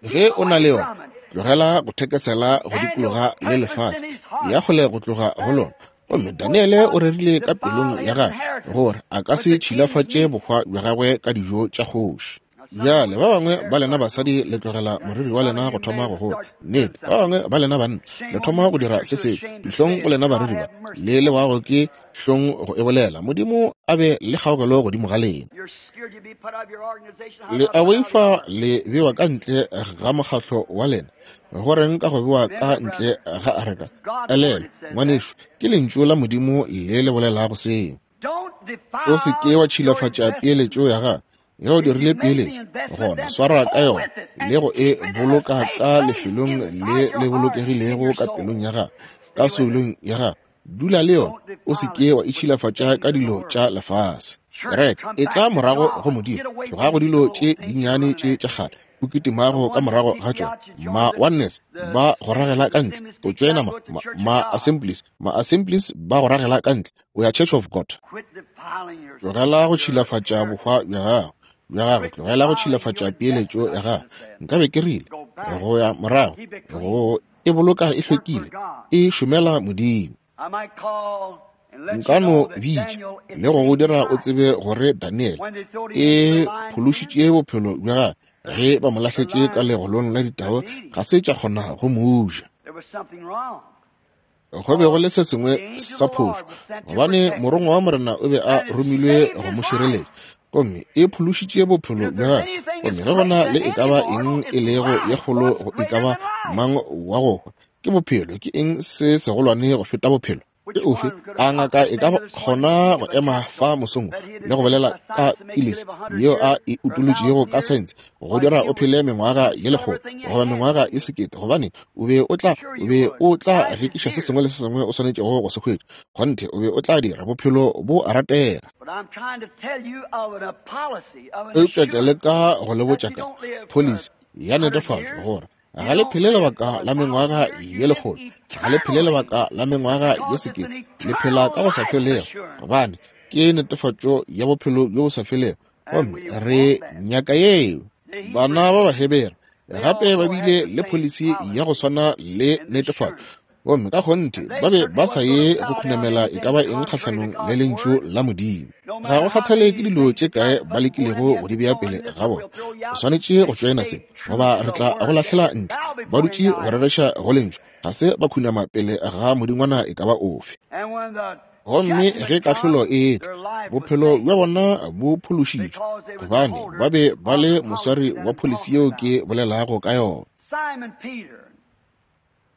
Ge o na le yona, tlogela go thekesela go dikologa le lefase, ya kgole go tloga go lona. Gomme Daniele o rerile ka pelong ya gagwe gore a ka se tšhilafatše bohwa bja gagwe ka dijo tša kgoši. Bjale ba bangwe ba lena basadi le tlogela moriri wa lena go thoma go gola. Nnete, ba bangwe ba lena banna le thoma go dira se sengwe. Dihlong go lena bariri ba le lewago ke hlong go e bolela. Modimo a be le kgaogelo godimo ga lena. Le a boifa le bewa ka ntle ga mokgahlo wa lena. Go reng ka go bewa ka ntle ga areka? Elelwa, ngwanešu, ke lentšu la Modimo le le bolelago seo. O se ke wa tšhilafatša peeletšo ya gago. Ge o dirile peeletšo, gona swara ka yona le go e boloka ka lefelong le le bolokegilego ka pelong ya gago, ka soulong ya gago. Dula le yona, o se ke wa itšhilafatša ka dilo tša lefase. Kereke e tla morago go Modimo. Tloga go dilo tše dinnyane tše tša kgale o kitimago ka morago ga tšona. Ma Oneness ba go ragela ka ntle, o tšoena ma, ma, ma Assemblies, ma Assemblies ba go ragela ka ntle, o ya Church of God. Tlogela go tšhilafatša bohwa bja gago, bja gago, tlogela go tšhilafatša peeletšo ya gago. Nkabe ke rile go ya morago, go e boloka e hlwekile, e šomela Modimo. Nka no bitša le go go dira o tsebe gore Daniel e phološitše bophelo bja gagwe ge ba mo lahletše ka legolong la ditau, ga se tša kgona go mo ja. Go be go le se sengwe sa phošo, gobane morongwa wa Morena o be a romilwe go mo šireletša, gomme e phološitše bophelo bja gagwe. Gomme ge gona le e ka ba eng e lego ye kgolo go e ka ba mang wa go hwa, ke bophelo. Ke eng se segolwane go feta bophelo? Ke ofe a ngaka e ka kgona go ema fa mosong le go bolela ka pilisi yeo a e utolotšego ka saense go dira o phele mengwaga ye lekgolo goba mengwaga ye sekete, gobane o be o tla o be o tla rekiša se sengwe le se sengwe o swanetšego go se hwetša. Kgonthe o be o tla dira bophelo bo a ratega. Eupša ke leka go le botša ka policy ya netefatšo gore ga le phele lebaka la mengwaga ye lekgolo, ga le phele lebaka la mengwaga ye sekete, le phela ka go sa felego, gobane ke netefatšo ya bophelo bjo bo sa felego. Gomme re nyaka yeo. Bana ba Bahebere gape ba bile le policy ya go swana le netefatšo, gomme ka kgonthe ba be ba sa ye go khunamela e ka ba eng kgahlanong le lentšu la Modimo. Ga go kgathale ke dilo tše kae ba lekilego go di bea pele ga bona, o swanetše go tšoena se goba re tla go lahlela ntle. Ba dutše go rereša go lentšu, ga se ba khunama pele ga modingwana e ka ba ofe. Gomme ge kahlolo e etla, bophelo bja bona bo phološitšwe, gobane ba be ba le moswari wa policy yeo ke bolelago ka yona.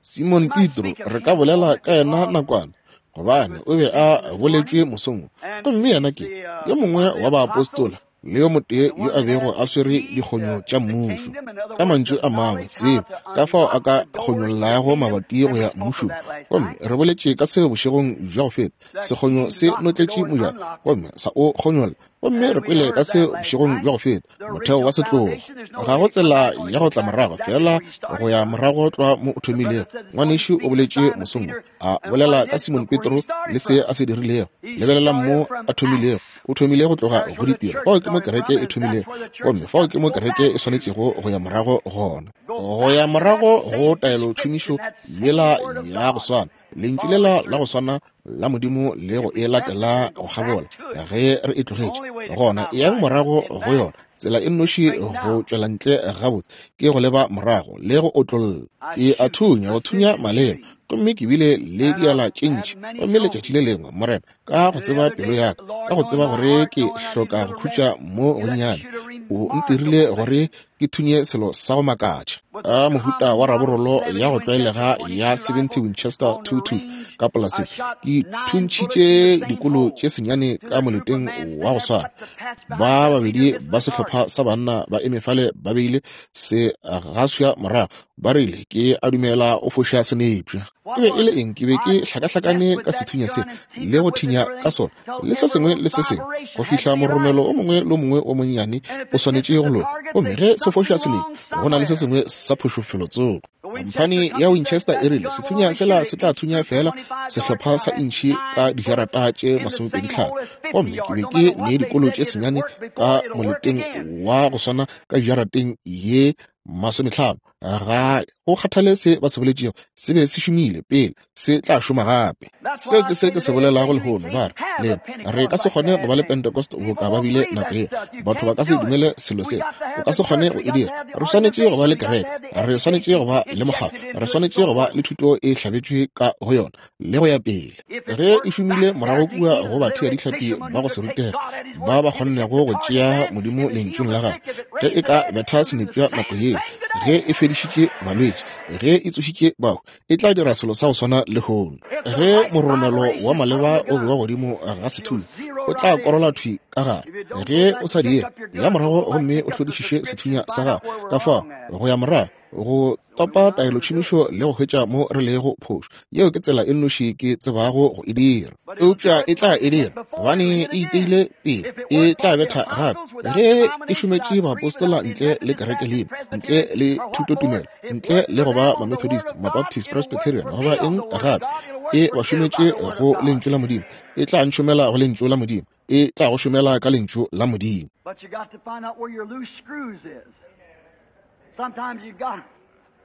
Simon Petro, re ka bolela ka yena nakwana, gobane o be a boletšwe mosong, gomme yena ke yo mongwe wa baapostola le yo motee yo a bego a swere dikgonyo tša mmušo. Ka mantšu a mangwe, tsebo ka fao a ka kgonyollago mabati go ya mmušong. Gomme re boletše ka seo bošegong bja go feta. Sekgonyo se notletše mojako gomme sa o kgonyolla. Gomme re kwele ka seo bošegong bja go feta, motheo wa setlogo. Ga go tsela ya go tla morago, fela go ya morago tlwa mo o thomilego. Ngwanešu o boletše mosong, a bolela ka Simon Petro le se a se dirilego. Lebelela mo a thomilego. O thomile go tloga go ditiro. Fao ke mo kereke e thomilego, gomme fao ke mo kereke e swanetšego go ya morago gona. Go ya morago go taelotšhomišo yela ya go swana, lentšu lela la go swana la Modimo le go e latela go kgabola ge re e tlogetše. Gona eyang morago go yona. Tsela e nnoši go tšwela ntle gabotse ke go leba morago le go otlolla. Ke a thunya go thunya maleba, gomme ke bile le diala tše ntši. Gomme letšatši le lengwe, Morena, ka go tseba pelo ya ka, ka go tseba gore ke hloka go khutša mo gonnyane, o ntirile gore ke thunye selo sa go makatša ka mohuta wa raborolo ya go tlwaelega ya seventy Winchester two two ka polaseng. Ke thuntšhitše dikolo tše senyane ka moleteng wa go swana. Ba babedi ba sehlopha sa banna ba eme fale ba beile se gaswa morago, ba rile ke a dumela o foša senepša. E be e le eng? Ke be ke hlakahlakane ka sethunya se le go thinya ka sona le se sengwe le se sengwe go fihla moromelo o mongwe le o mongwe o monnyane o swanetše go loka. Gomme ge se foša senepša, go na le se sengwe sa phošo felotsoko. Khamphani ya Winchester e rile sethunya sela se tla thunya fela sehlopha sa intšhi ka dijarata tše masomepedi tlhano. Gomme ke be ke ne dikolo tše senyane ka moleteng wa go swana ka dijarateng ye masometlhano. Ga go kgathale se ba se boletšego, se be se šomile pele, se tla šoma gape. Seo ke se ke se bolelago lehono. Ba re lena re ka se kgone go ba le Pentecost boka ba bile nako ye. Batho ba ka se dumele selo se, o ka se kgone go e dira. Re swanetše go ba le kereke, re swanetše go ba le mokgatlo, re swanetše go ba le thuto e hlabetšwe ka go yona le go ya pele. Ge e šomile morago kua go bathea dihlapi ba go se rutega ba ba kgonnego go tšea Modimo lentšung la gagwe, ge e ka betha senepša nako yeo, ge e fedišitše balwetši, ge e tsošitše bahu, e tla dira selo sa go swana lehono. Ge moromelo wa maleba o bewa godimo ga sethunya, o tla korola thwi ka gare. Ge o sa die, ya morago gomme o hlodišiše sethunya sa gago. Ka fao go ya morago Go topa taelotšhomišo le go hwetša mo re lego phošo. Yeo ke tsela e nnoši ke tsebago go e dira. Eupša e tla e dira, gobane e iteile pele, e tla betha gape. Ge e šometše baapostola ntle le kereke leina, ntle le thutotumelo, ntle le go ba Mamethodist, Mabaptist, Presbyterian, goba eng gape, e ba šometše go lentšu la Modimo, e tla ntšhomela go lentšu la Modimo, e tla go šomela ka lentšu la Modimo.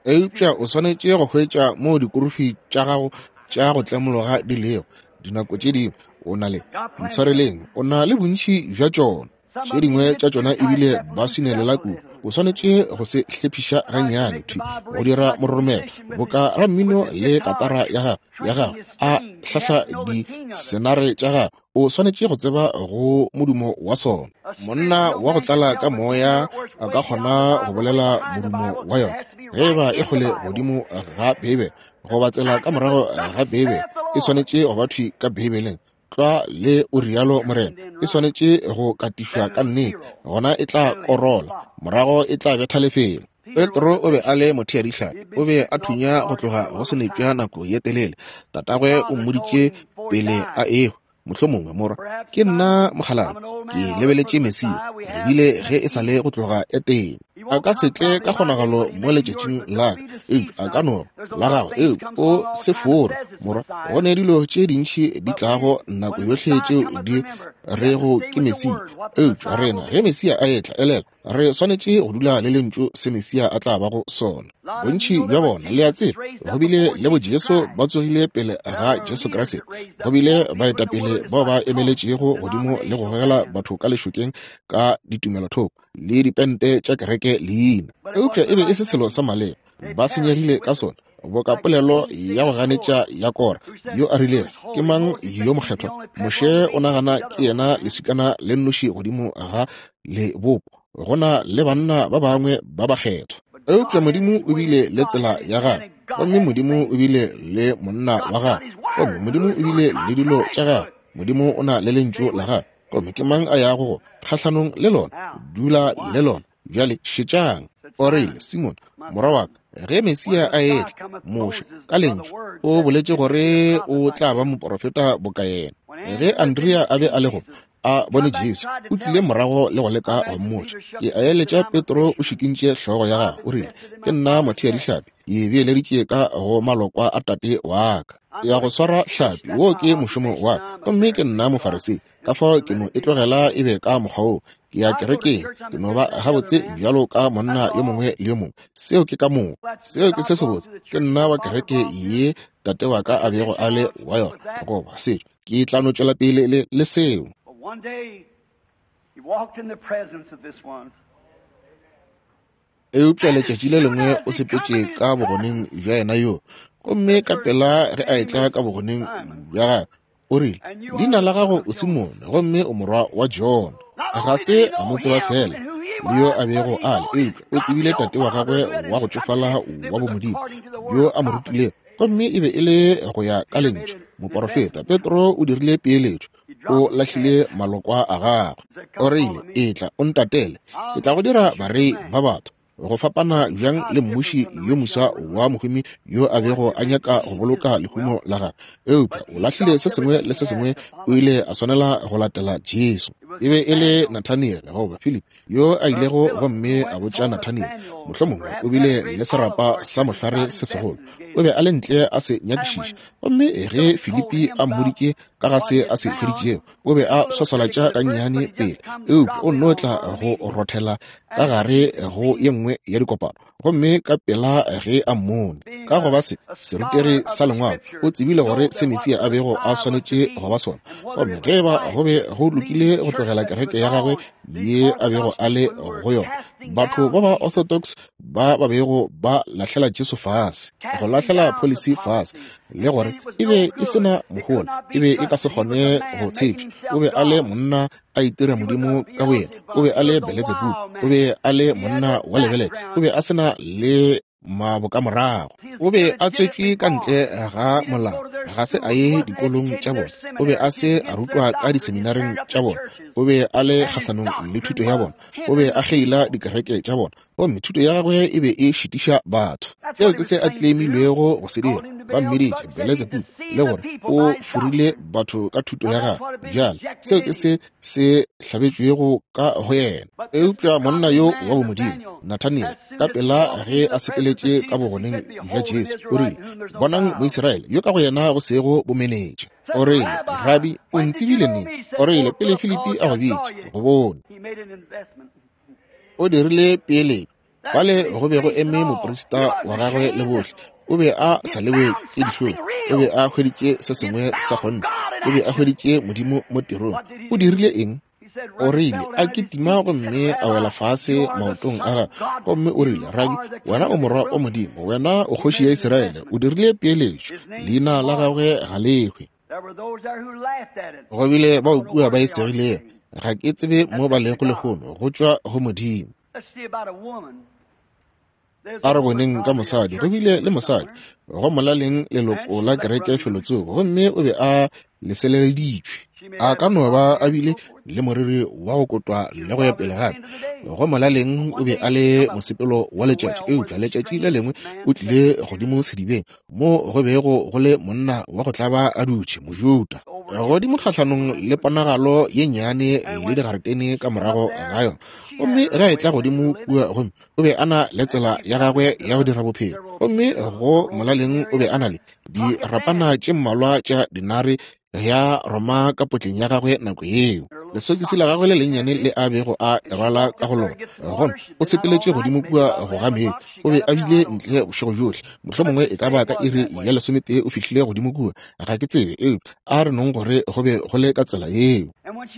Eupša o swanetše go hwetša moo dikurufi tša gago tša go tlemologa di lego. Dinako tše dingwe o na le, ntshwareleng, o na le bontši bja tšona. Tše dingwe tša tšona ebile ba swinelela kudu. O swanetše go se hlephiša gannyane thwi go dira mororomelo boka rammino le katara ya gagwe ya gagwe a hlahla disenare tša gagwe. O swanetše go tseba go modumo wa sona. Monna wa go tlala ka moya a ka kgona go bolela modumo wa yona. Ge eba e kgole godimo ga Beibele goba tsela ka morago ga Beibele, e swanetše go ba thwi ka Beibeleng. Tlwa le o rialo Morena, e swanetše go katišwa ka nnete, gona e tla korola, morago e tla betha lefelo. Petro o be a le motheadihlapi, o be a thunya go tloga go senepša nako ye telele. Tatagwe o mmoditše pele a ehwa, mohlomongwe morwa, ke nna mokgalabje, ke lebeletše Mesia, re bile ge e sa le go tloga Etene. A ka se tle ka kgonagalo mo letšatšing la ka, eupša a ka no la gagwe, eupša o se fore morwa. Go ne dilo tše dintši di tlago nako yohle tšeo di rego ke Mesia, eupša rena ge Mesia a etla, elela, re swanetše go dula le lentšu se Mesia a tla bago sona. Bontši bja bona, le a tseba, go bile le bo Jesu ba tsogile pele ga Jesu Kriste. Go bile baetapele bao ba emeletšego godimo le go gogela batho ka lešokeng ka ditumelothoko le dipente tša kereke leina, eupša e be e se selo sa maleba. Ba senyegile ka sona, boka polelo ya go ganetša ya Kora yo a rilego, ke mang yo mokgethwa? Moshe o nagana ke yena leswikana le nnoši godimo ga lebopo, go na le banna ba bangwe ba bakgethwa. Eupša Modimo o bile le tsela ya gagwe, gomme Modimo o bile le monna wa gagwe, gomme Modimo o bile le dilo tša gagwe. Modimo o na le lentšu la gagwe, gomme ke mang a yago go kgahlanong le lona? Dula le lona. Bjale šetšang. O rile, Simon, morwa wa ka, ge Mesia a etla, Moshe ka lentšu o boletše gore o tla ba moprofeta boka yena. Ge Andrea a be a le go a bone Jesu, o tlile morago le go leka go mmotša. Ke a eletša Petro o šikintše hlogo ya gagwe, o rile, ke nna motheadihlapi, ke beeleditše ka go malokwa a tate wa ka. Ya go swara hlapi, wo ke mošomo wa ka, gomme ke nna Mofarisei, ka fao ke no e tlogela e be ka mokgwa wo. Ke ya kerekeng, ke no ba gabotse bjalo ka monna yo mongwe le yo mongwe. Seo ke ka moka, seo ke se sebotse. Ke nna wa kereke ye tate wa ka a bego a le wa yona, goba setšo. Ke tla no tšwela pele le, le seo. Eupša letšatši le lengwe o sepetše ka bogoneng bja yena yo, gomme ka pela ge a etla ka bogoneng bja gagwe, o rile, leina la gago o Simone, gomme o morwa wa Jona. Ga se a mo tseba fela le yo a bego a le, eupša o tsebile tate wa gagwe wa go tšofala wa bomodimo yo a mo rutilego, gomme e be e le go ya ka lentšu. Moporofeta Petro o dirile peeletšo, o lahlile malokwa a gagwe. O rile, etla o ntatele, ke tla go dira barei ba batho. Go fapana bjang le mmuši yo moswa wa mohumi yo a bego a nyaka go boloka lehumo la gagwe, eupša o lahlile se sengwe le se sengwe, o ile a swanela go latela Jesu. E be e le Nathaniel goba Philip yo a ilego gomme a botša Nathaniel, mohlomongwe o bile le serapa sa mohlare se segolo, o be a le ntle a se nyakišiša, gomme ge Filipi a mmoditše ka ga se a se hweditšego, o be a swaswalatša gannyane pele, eupša o nno tla go rothela ka gare go ye nngwe ya dikopano, gomme ka pela ge a mmone ka go ba se serutegi sa lengwalo, o tsebile gore se Mesia a bego a swanetše go ba sona, gomme ge ba go be go lokile go tlogela kereke ya gagwe ye a bego a le go yona, batho ba ba orthodox ba ba bego ba lahlela Jesu fase, go lahlela policy fase, le gore e be e se na mohola, e be e ka se kgone go tshepša. O be a le monna a itira modimo ka boyena, o be a le Beelzebub, o be a le monna wa lebelele, o be a se na le mabokamorago. O be a tswetšwe ka ntle ga molao, ga se a ye dikolong tša bona, o be a se a rutwa ka diseminareng tša bona, o be a le kgahlanong le thuto ya bona, o be a kgeila dikereke tša bona, gomme thuto ya gagwe e be e šitiša batho. Seo ke se a tleimilwego go se dira. Ba mmiditše Beletsebubu le gore o forile batho ka thuto ya gagwe. Bjale seo ke se se hlabetšwego ka go yena. Eupša monna yo wa bomodimo, Nathaniel, ka pela ge a sepeletše ka bogoneng bja Jesu, o rile, bonang Moisraele yo ka go yena go sego bomenetša. O rile, Rabi, o ntsebile neng? O rile, pele Filipi a go bitša, go bone. O dirile peeletšo. Fale go be go eme moprista wa gagwe le bohle. O be a sa lewe ke dihlong. O be a hweditše se sengwe sa kgonthe. O be a hweditše Modimo mo tirong. O dirile eng? O rile, a kitima gomme a wela fase maotong a gagwe, gomme o rile, Rabi, wena o morwa wa Modimo, wena o kgoši ya Israele. O dirile peeletšo. Leina la gagwe ga le hwe. Go bile bao kua ba e segilego. Ga ke tsebe mo ba lego lehono, go tšwa go Modimo. A re boneng ka mosadi. Go bile le mosadi go molaleng leloko la kereke felotsoko, gomme o be a leseleleditšwe. A ka no ba a bile le moriri wa go kotwa le go ya pele gape. Go molaleng o be a le mosepelo wa letšatši, eupša letšatši le lengwe o tlile godimo sedibeng mo go bego go le monna wa go tlaba a dutše, Mojuda, godimo kgahlanong le ponagalo ye nnyane le digaretene ka morago ga yona. Gomme ge a etla godimo kua, gomme o be a na le tsela ya gagwe ya go dira bophelo, gomme go molaleng o be a na le dirapana tše mmalwa tša dinare ya Roma ka potleng ya gagwe nako yeo, lesokisi la gagwe le lennyane le a bego a rwala ka go lona. Gomme o sepeletše godimo kua go ga meetse. O be a bile ntle bošego bjohle, mohlomongwe e ka ba ka iri ya lesometee o fihlile godimo kua, ga ke tsebe, eupša a re nong gore go be go le ka tsela yeo.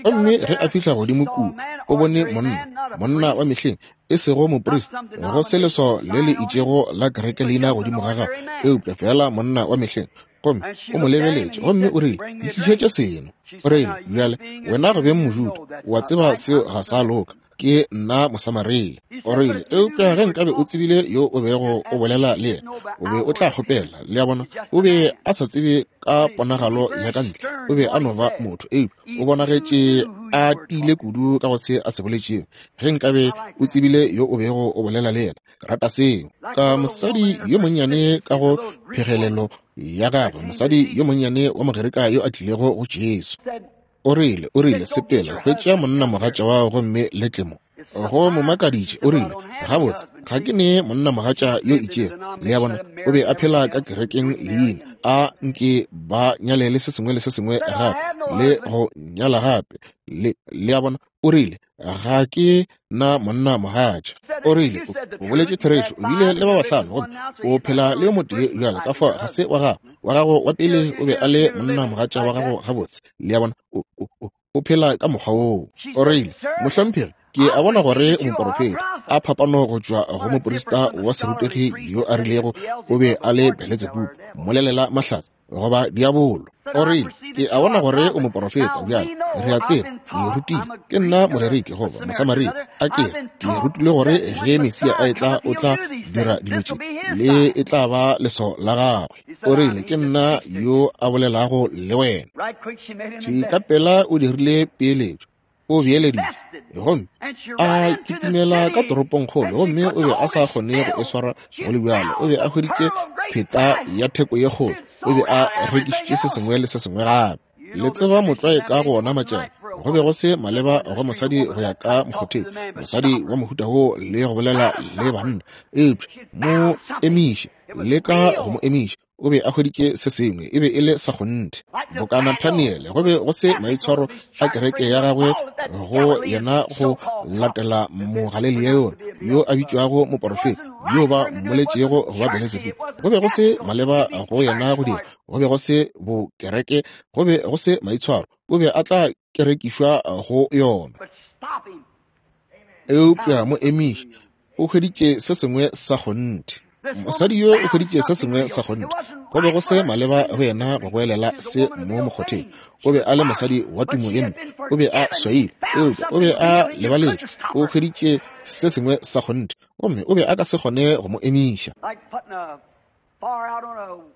Gomme ge a fihla godimo kua, o bone monna, monna wa mehleng, e sego moprista, go se leswao le le itšego la kereke leina godimo ga gagwe, eupša fela monna wa mehleng. Gomme o mo lebeletše, gomme o rile, ntlišetše seno. O rile, bjale wena go beng Mojuda, wa tseba seo ga sa loka, ke nna Mosamaria. O rile, eupša ge nkabe o tsebile yo o bego o bolela le yena, o be o tla kgopela. Le a bona, o be a sa tsebe ka ponagalo ya ka ntle, o be a no ba motho, eupša o bonagetše a tiile kudu ka go se a se boletšego. Ge nkabe o tsebile yo o bego o bolela le yena. Rata seo. Ka mosadi yo monnyane ka go phegelelo ya gagwe, mosadi yo monnyane wa Mogerika yo a tlilego go Jesu. O rile, o rile, sepela, hwetša monna mogatša wa gomme le tle mo. Go mo makaditše, o rile, gabotse, ga ke ne monna mogatša yo itšego. Le a bona, o be a phela ka kerekeng leina, a nke ba nyalele se sengwe le se sengwe gape, le go nyala gape. Le, le a bona, o rile, ga ke na monna mogatša. O rile, o boletše therešo, o bile le ba bahlano, gomme o phela le yo motee bjale, ka fao ga se wa gago. Wa gago wa pele o be a le monna mogatša wa gago gabotse. Le a bona, o, o, o phela ka mokgwa woo. O rile, mohlomphegi, ke a bona gore o moporofeta. A phapano go tšwa go moprista wa serutegi yo a rilego o be a le Beletsebubu, mmolelela mahlatse, goba diabolo. O rile, ke a bona gore o moporofeta. Bjale re a tseba, ke rutile, ke nna Mogerike goba Mosamaria. A ke ke rutile gore ge Mesia a etla o tla dira dilo tše, le e tla ba leswao la gagwe. O rile, ke nna yo a bolelago le wena. Thwi ka pela o dirile peeletšo, o beeleditše, gomme a kitimela ka toropongkgolo, gomme o be a sa kgone go e swara go le bjalo. O be a hweditše pheta ya theko ye kgolo, o be a rekišitše se sengwe le se sengwe gape. Le tseba motlwae ka go ona matšatši, go be go se maleba go mosadi go ya ka mokgotheng, mosadi wa mohuta wo le go bolela le banna, eupša mo emiše, le ka go mo emiša. O be a hweditše se sengwe, e be e le sa kgonthe. Boka Nathaniele, go be go se maitshwaro a kereke ya gagwe go yena go latela Mogalilea yona yo a bitšwago moporofeta, yo ba mmoletšego go ba Beletsebubu. Go be go se maleba go yena go dira, go be go se bokereke, go be go se maitshwaro, o be a tla kerekišwa go yona. Eupša mo emiše, o hweditše se sengwe sa kgonthe. Mosadi yo o hweditše se sengwe sa kgonthe. Go be go se maleba go yena go goelela se mo mokgotheng. O be a le mosadi wa tumo ye mpe, o be a swaile, eupša o be a lebaletšwe. O hweditše se sengwe sa kgonthe, gomme o be a ka se kgone go mo emiša.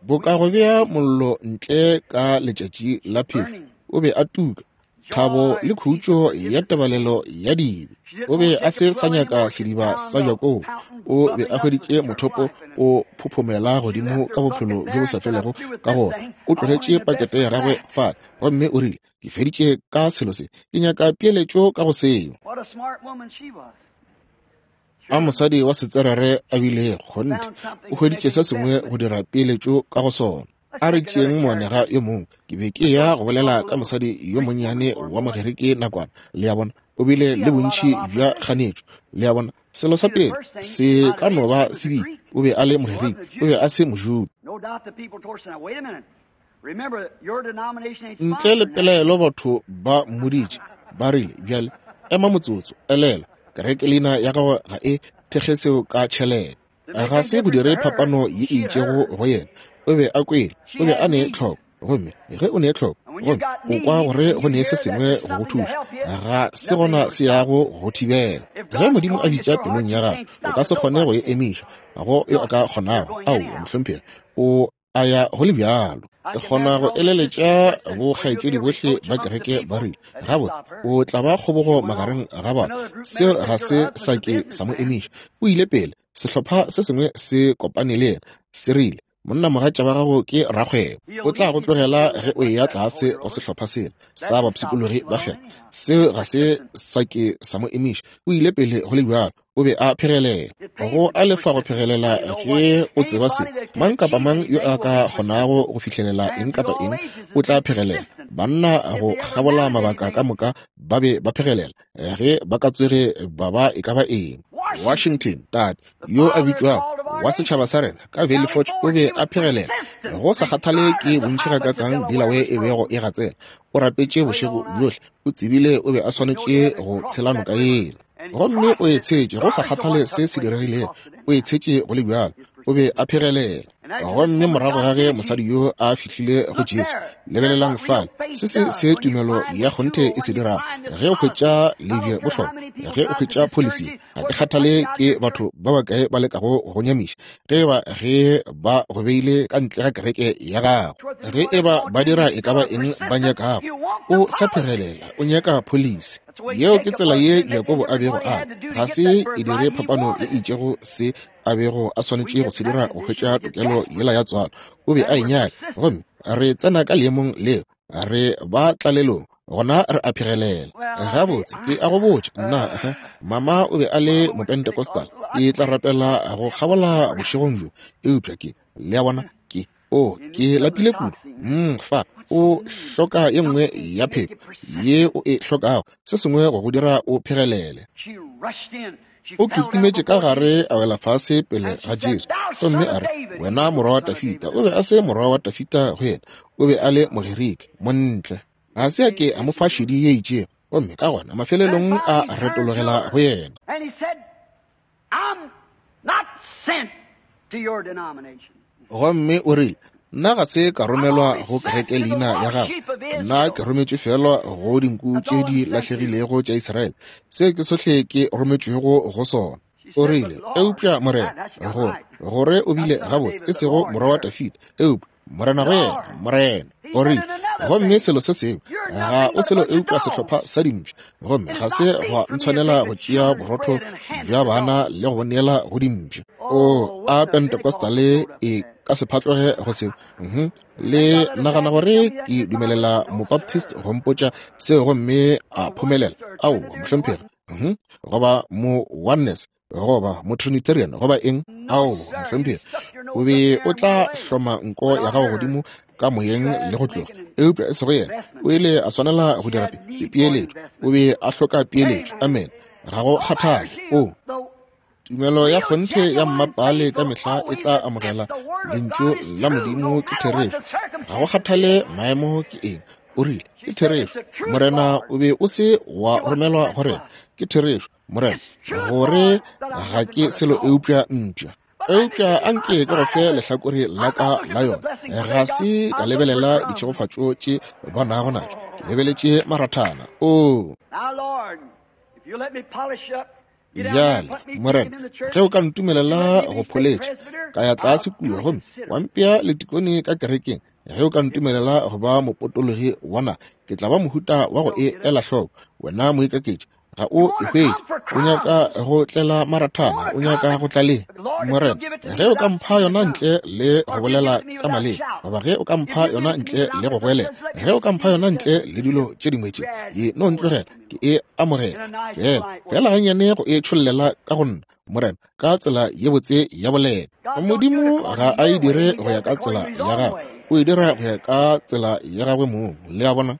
Boka go bea mollo ntle ka letšatši la phefo, o be a tuka, thabo le khutšo ya tebalelo ya dibe. O be a se sa nyaka sediba sa Jakobo, o be a hweditše mothopo o phophomela godimo ka bophelo bjo bo sa felego. Ka gona o tlogetše pakete ya gagwe fale, gomme o rile, ke feditše ka selo se, ke nyaka peeletšo ka go seo. A mosadi wa setserere a bile kgonthe, o hweditše se sengwe go dira peeletšo ka go sona. A re tšeeng moanega yo mongwe. Ke be ke ya go bolela ka mosadi yo monnyane wa Mogerike nakwana. Le a bona, o bile le bontši bja kganetšo. Le a bona, selo sa pele se ka no ba se bile, o be a le Mogerike, o be a se Mojuda. Ntle le pelaelo batho ba mmoditše, ba rile, bjale ema motsotso, elela, kereke leina ya gago ga e thekge seo ka tšhelete. Ga se go dire phapano ye e itšego go yena. O be a kwele, o be a ne tlhoko, gomme ge o ne tlhoko, gomme o kwa gore go ne se sengwe go go thuša, ga se gona se yago go thibela. Ge Modimo a bitša pelong ya gago, o ka se kgone go e emiša, go yo a ka kgonago. Aowa, mohlomphegi, o a ya go le bjalo. Ke kgona go eleletša bokgaetšedi bohle ba kereke ba rile, gabotse, o tla ba kgobogo magareng ga batho. Seo ga se sa ke sa mo emiša. O ile pele, sehlopha se sengwe se kopane le yena, se rile, monna mogatša wa gago ke rakgwebo, o tla go tlogela ge o eya tlase go sehlopha sela sa bapshikologi ba kgwebo. Seo ga se sa ke sa mo emiša. O ile pele go le bjalo, o be a phegelela. Go a lefa go phegelela ge o tseba se. Mang kapa mang yo a ka kgonago go fihlelela eng kapa eng o tla phegelela. Banna go kgabola mabaka ka moka ba be ba phegelela ge ba ka tsoge ba ba e ka ba eng. Washington, tate yo a bitšwago wa setšhaba sa rena ka Valley Forge, o be a phegelela go sa kgathale ke bontši gakakang Delaware e bego e gatsela. O rapetše bošego bjohle, o tsebile o be a swanetše go tshela noka yela, gomme o e tshetše go sa kgathale se se diregilego, o e tshetše go le bjalo. O be a phegelela. Gomme morago ga ge mosadi yo a fihlile go Jesu, lebelelang fale se se se tumelo ya kgonthe e se dirago. Ge o hwetša lebje bohlokwa, ge o hwetša policy, ga ke kgathale ke batho ba bakae ba lekago go nyamiša, ge ba ge ba go beile ka ntle ga kereke ya gago, ge e ba ba dira e ka ba eng ba nyakago, o sa phegelela, o nyaka policy. Yeo ke tsela ye Jakobo a bego a ga se e dire phapano e itšego se a bego a swanetše go se dira go hwetša tokelo yela ya tswalo. O be a e nyaka, gomme re tsena ka leemong leo, re ba tlalelong, gona re a phegelela. Gabotse, ke a go botša nna, mama o be a le Mopentecostal, ke tla rapela go kgabola bošegong bjo, eupša ke, le a bona, ke o ke lapile kudu. Mm, fa o hloka ye nngwe ya phepo ye o e hlokago, se sengwe go go dira o phegelele. O kitimetše ka gare a wela fase pele ga Jesu, gomme a re, wena morwa wa Tafita. O be a se morwa wa Tafita go yena, o be a le Mogerike, montle. Ga se a ke a mo fa šedi ye itšego, gomme ka gona mafelelong a retologela go yena. Gomme o rile, nna ga se ka romelwa go kereke leina ya gago, nna ke rometšwe fela go dinku tše di lahlegilego tša Israele. Seo ke sohle ke rometšwego go sona. O rile, eupša morena, gore gore o bile gabotse, e sego morwa wa Tafita, eupša morena go yena, morena. O rile, gomme selo se sengwe, ga o selo eupša sehlopha sa dimpša, gomme ga se gwa ntshwanela go tšea borotho bja bana le go neela go dimpša. O a Pentecostale e ka se phatloge go seo. Mhm. Le nagana gore ke dumelela Mobaptist go mpotša seo gomme a phomelela? Aowa, mohlomphegi. Mhm. Goba mo Oneness, goba mo Trinitarian, goba eng? Aowa, mohlomphegi. O be o tla hloma nko ya gago godimo ka moyeng le go tloga, eupša e sego yena. O ile a swanela go dira peeletšo, o be a hloka peeletšo. Amen. Ga go kgathale. O tumelo ya kgonthe ya mmapale ka mehla e tla amogela lentšu la Modimo ke therešo. Ga go kgathale maemo ke eng. O rile, ke therešo morena, o be o se wa romelwa go rena. Ke therešo morena, gore ga ke selo eupša mpša. Eupša anke ke go fe lehlakore la ka la yona. Ga se ka lebelela ditšhegofatšo tše ba nago natšo, ke lebeletše marathana. Oo, bjale Morena, ge o ka ntumelela go pholetša ka ya tlase kua gomme wa mpea letikone ka kerekeng, ge o ka ntumelela go ba mopotologi wa naga, ke tla ba mohuta wa go e ela hloko. Wena moikaketši, ga o e hwetše. O nyaka go tlela marathana, o nyaka go tla le Morena, ge o ka mpha yona ntle le go bolela ka maleme, goba ge o ka mpha yona ntle le go goelela, ge o ka mpha yona ntle le dilo tše dingwe tše, e no ntlogela ke e amogela fela fela gannyane go e tšhollela ka go nna, Morena, ka tsela ye botse ya boleta. Modimo ga a e dire go ya ka tsela ya gagwe, o e dira go ya ka tsela ya gagwe mong. Le a bona?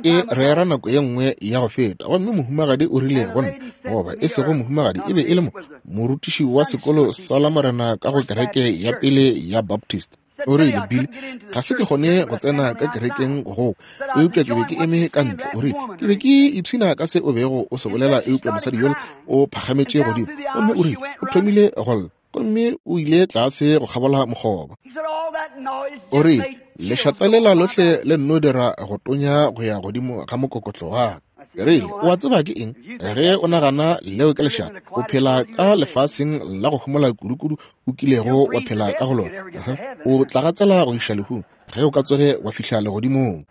Ke rera nako ye nngwe ya go feta, gomme mohumagadi o rile go nna, goba e sego mohumagadi, e be e le mo morutiši wa sekolo sa la Morena ka go kereke ya pele ya Baptist. O rile, Billy, ga se ke kgone go tsena ka kerekeng go, eupša ke be ke eme ka ntle. O rile, ke be ke ipshina ka se o bego o se bolela, eupša mosadi yola o phagametše godimo, gomme o rile o thomile go lla, gomme o ile tlase go kgabola mokgoba. O rile, lešata lela lohle le nno dira go tonya go ya godimo ga mokokotlo wa ka. Ke rile, o a tseba ke eng? Ge o nagana leo ke lešata, o phela ka lefaseng la go homola kudukudu o kilego wa phela ka go lona. O tla gatsela go iša lehung ge o ka tsoge wa fihla legodimong.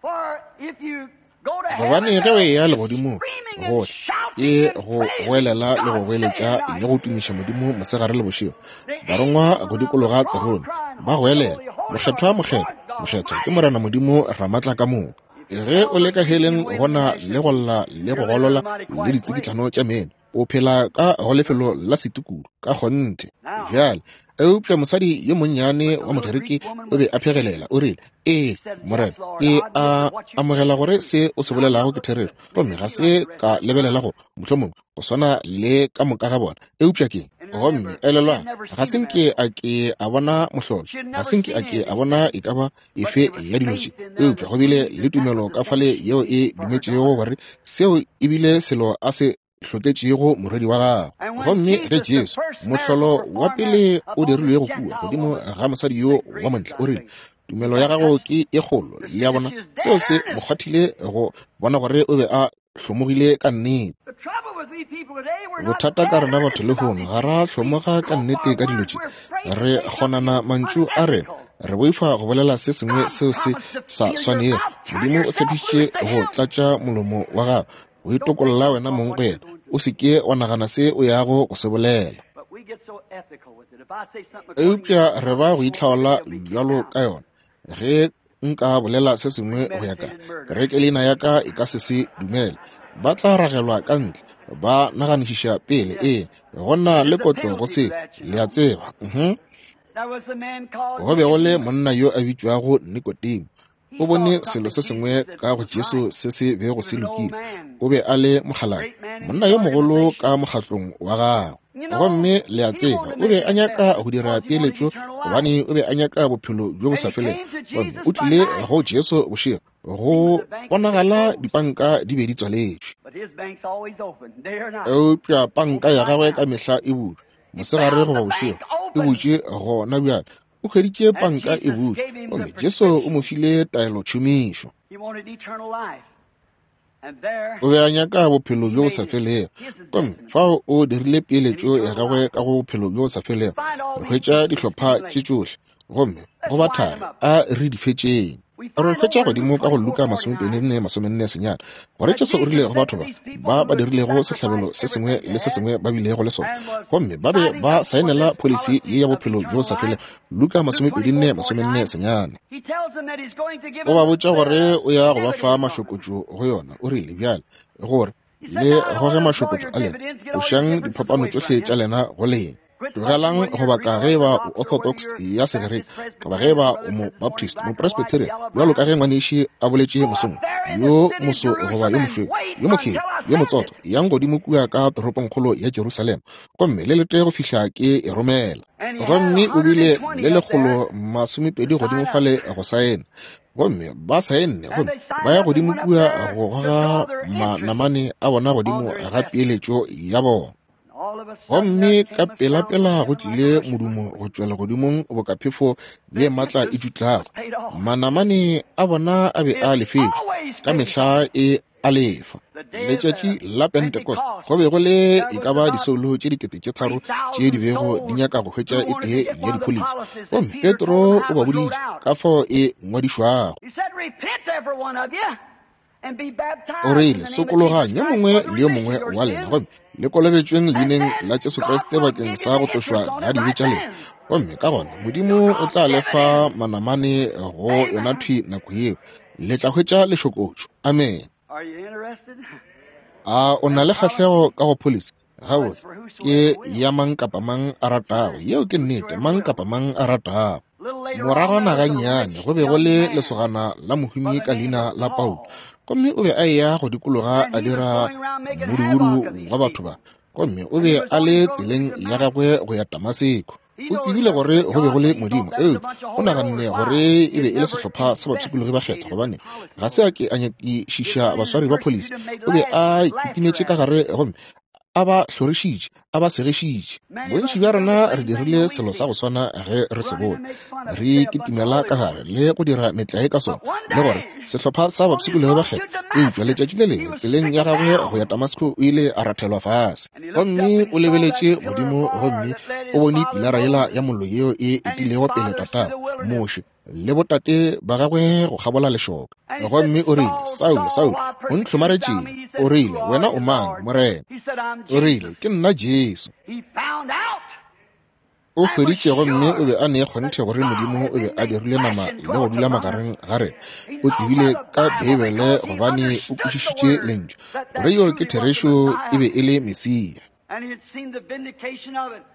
Gobane ge o eya legodimong, gohle ke go goelela le go goeletša le go tumiša Modimo mosegare le bošego. Barongwa go dikologa terone ba goelela, Mokgethwa, mokgethwa, mokgethwa ke Morena Modimo Ramatla ka moka. Ge o le ka heleng gona le go lla le go golola le ditsikitlano tša meno, o phela ka go lefelo la setukudu ka kgonthe. Bjale, eupša mosadi yo monnyane wa Mogerike o be a phegelela. O rile, ee Morena, ke a amogela gore se o se bolelago ke therešo, gomme ga se ka lebelela go mohlomongwe go swana le ka moka ga bona, eupša ke. Gomme elelwang, ga se nke a ke a bona mohlolo, ga se nke a ke a bona e ka ba efe ya dilo tše, eupša go bile le tumelo ka fale yeo e dumetšego gore seo e bile selo a se hloketšego morwedi wa gagwe. Gomme ge Jesu, mohlolo wa pele o dirilwego kua godimo ga mosadi yo wa montle, o rile, tumelo ya gago ke e kgolo. Le a bona, seo se mo kgwathile go bona gore o be a hlomogile ka nnete. Bothata ka rena batho lehono, ga ra hlomoga ka nnete ka dilo tše. Re kgonana mantšu a rena, re boifa go bolela se sengwe seo se sa swanego. Modimo o tshepišitše go tlatša molomo wa gago, o itokolla wena mong go yena. O se ke wa nagana se o yago go se bolela. Eupša re ba go itlhaola bjalo ka yona. Ge nka bolela se sengwe go ya ka kereke, leina ya ka e ka se se dumele. Ba tla ragelwa ka ntle, ba naganišiša pele. Ee, go na le kotlo go se, le a tseba. Go be go le monna yo a bitšwago Nikodemo. O bone selo se sengwe ka go Jesu se se bego se lokile. O be a le mokgalabje, monna yo mogolo ka mokgatlong wa gagwe. Gomme le a tseba, o be a nyaka go dira peeletšo, gobane o be a nyaka bophelo bjo bo sa felego. Gomme o tlile go Jesu bošego, go bonagala dipanka di be di tswaletšwe, eupša panka ya gagwe ka mehla e butšwe, mosegare goba bošego, e butšwe gona bjale. O hweditše panka e butšwe, gomme Jesu o mo file taelo tšhomišo. O be a nyaka bophelo bjo bo sa felego, gomme fao o dirile peeletšo ya gagwe ka go bophelo bjo bo sa felego. Re hwetša dihlopha tše tšohle, gomme go ba thari a re di fetšeng. Re hwetša godimo ka go Luka masomepedi nne masomenne senyane gore Jesu o rile go batho ba ba ba dirilego sehlabelo se sengwe le se sengwe ba bilego le sona, gomme ba be ba saenela pholisi ye ya bophelo bjo sa felego. Luka masomepedi nne masomenne senyane. O ba botša gore o ya go ba fa mašokotšo go yona. O rile, bjale gore le goge mašokotšo a lena, tlošang diphapano tšohle tša lena go lena. Tlogelang go baka ge ba o Orthodox ya Segerike, goba ge ba o mo Baptist, mo Presbyterian, bjalo ka ge ngwaneši a boletše mosong, yo moso goba yo mošweu, yo mokheri, yo motsotho, yang godimo kua ka toropongkgolo ya Jerusalema, gomme le lete go fihla ke e romela. Gomme o bile le lekgolo masomepedi godimo fale go saena, gomme ba saenne, gomme ba ya godimo kua go goga manamane a bona godimo ga peeletšo ya bona. Gomme ka pelapela go tlile modumo go tšwa legodimong boka phefo ye matla e dutlago. Manamane a bona a be a lefetšwe, ka mehla e a lefa. Letšatši la Pentecost go be go le e ka ba disoulo tše dikete tše tharo tše di bego di nyaka go hwetša e tee ya dipholisi. Gomme Petro o ba boditše ka fao e ngwadišwago. O rile, sokologang yo mongwe le yo mongwe wa lena gomme le kolobetšweng leineng la Jesu Kriste bakeng sa go tlošwa ga dibe tša lena. Gomme ka gona Modimo o tla le fa manamane go yona thwi nako yeo. Le tla hwetša lešokotšo. Amen. A o na le kgahlego ka go pholisi? Gabotse, ke ya mang kapa mang a ratago. Yeo ke nnete, mang kapa mang a ratago. Moragwana gannyane go be go le lesogana la mohumi ka leina la Paulo, gomme o be a eya go dikologa a dira modubudu wa batho ba, gomme o be a le tseleng ya gagwe go ya Damaseko. O tsebile gore go be go le Modimo, eupša o naganne gore e be e le sehlopha sa bapshikologi ba kgethwa, gobane ga se a ke a nyakišiša baswari ba pholisi. O be a kitimetše ka gare gomme a ba hlorišitše, a ba segišitše. Bontši bja rena re dirile selo sa go swana ge re se bone. Re kitimela ka gare le go dira metlae ka sona, le gore sehlopha sa bapshikologi ba kgethwa. Eupša letšatši le lengwe tseleng ya gagwe go ya Damaseko o ile a rathelwa fase, gomme o lebeletše godimo gomme o bone pilara yela ya mollo yeo e etilego pele tatago Moshe le botate ba gagwe go kgabola lešoka. Gomme o rile, Saulo, Saulo, o ntlhomaretšeng? O rile, wena o mang, Morena? O rile, ke nna Jesu. O hweditše gomme o be a ne kgonthe gore Modimo o be a dirile nama le go dula magareng ga rena. O tsebile ka Beibele gobane o kwešišitše lentšu gore yo ke therešo, e be e le Mesia.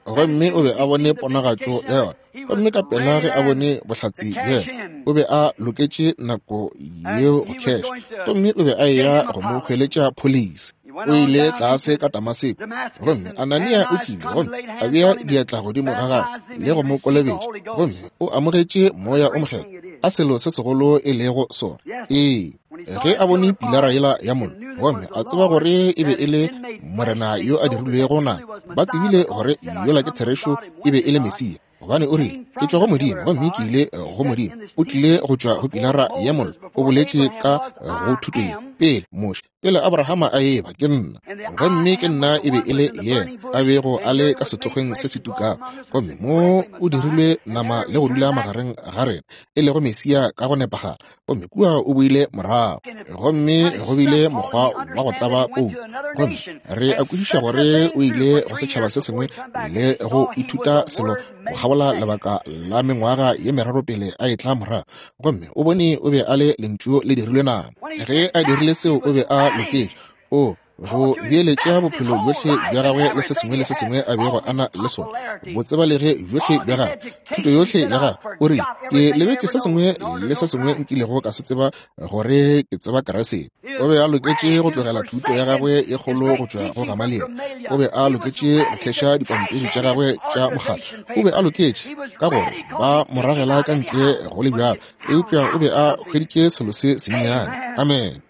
Gomme o be a bone ponagatšo ya yona, gomme ka pela ge a bone bohlatse bja yona, o be a loketše nako yeo go kheša, gomme o be a eya go mo hweletša pholisi. O ile tlase ka Damaseko, gomme Anania o tlile gomme a bea diatla godimo ga gagwe le go mo kolobetša, gomme o amogetše Moya o Mokgethwa. A selo se segolo e lego sona! Ee, ge a bone pilara yela ya mollo gomme a tseba gore e be e le Morena yo a dirilwego nama, ba tsebile gore yola ke therešo, e be e le Mesia, gobane o rile, ke tšwa go Modimo gomme ke ile go Modimo. O tlile go tšwa go pilara ya mollo. O boletše ka go thuto ye pele Moshe, pele Abrahama a eba, ke nna, gomme ke nna e be e le yena a bego a le ka sethokgweng se se tukago, gomme mo o dirilwe nama le go dula magareng ga rena, e lego Mesia ka go nepagala. Gomme kua o boile morago, gomme go bile mokgwa wa go tlaba Paulo, gomme re a kwešiša gore o ile go setšhaba se sengwe le go ithuta selo go kgabola lebaka la mengwaga ye meraro pele a etla morago, gomme o bone o be a le lentšu le dirilwe nama. Ge a dirile seo, o be a loketše o go beeletša bophelo bjohle bja gagwe le se sengwe le se sengwe a bego a na le sona, botsebalege bjohle bja gagwe, thuto yohle ya gagwe. O rile, ke lebetše se sengwe le se sengwe nkilego ka se tseba gore ke tseba Kriste. O be a loketše go tlogela thuto ya gagwe ye kgolo go tšwa go Gamaliel. O be a loketše go kheša dipampiri tša gagwe tša mokgatlo. O be a loketše ka gore ba mo ragela ka ntle go le bjalo, eupša o be a hweditše selo se sennyane. Amen.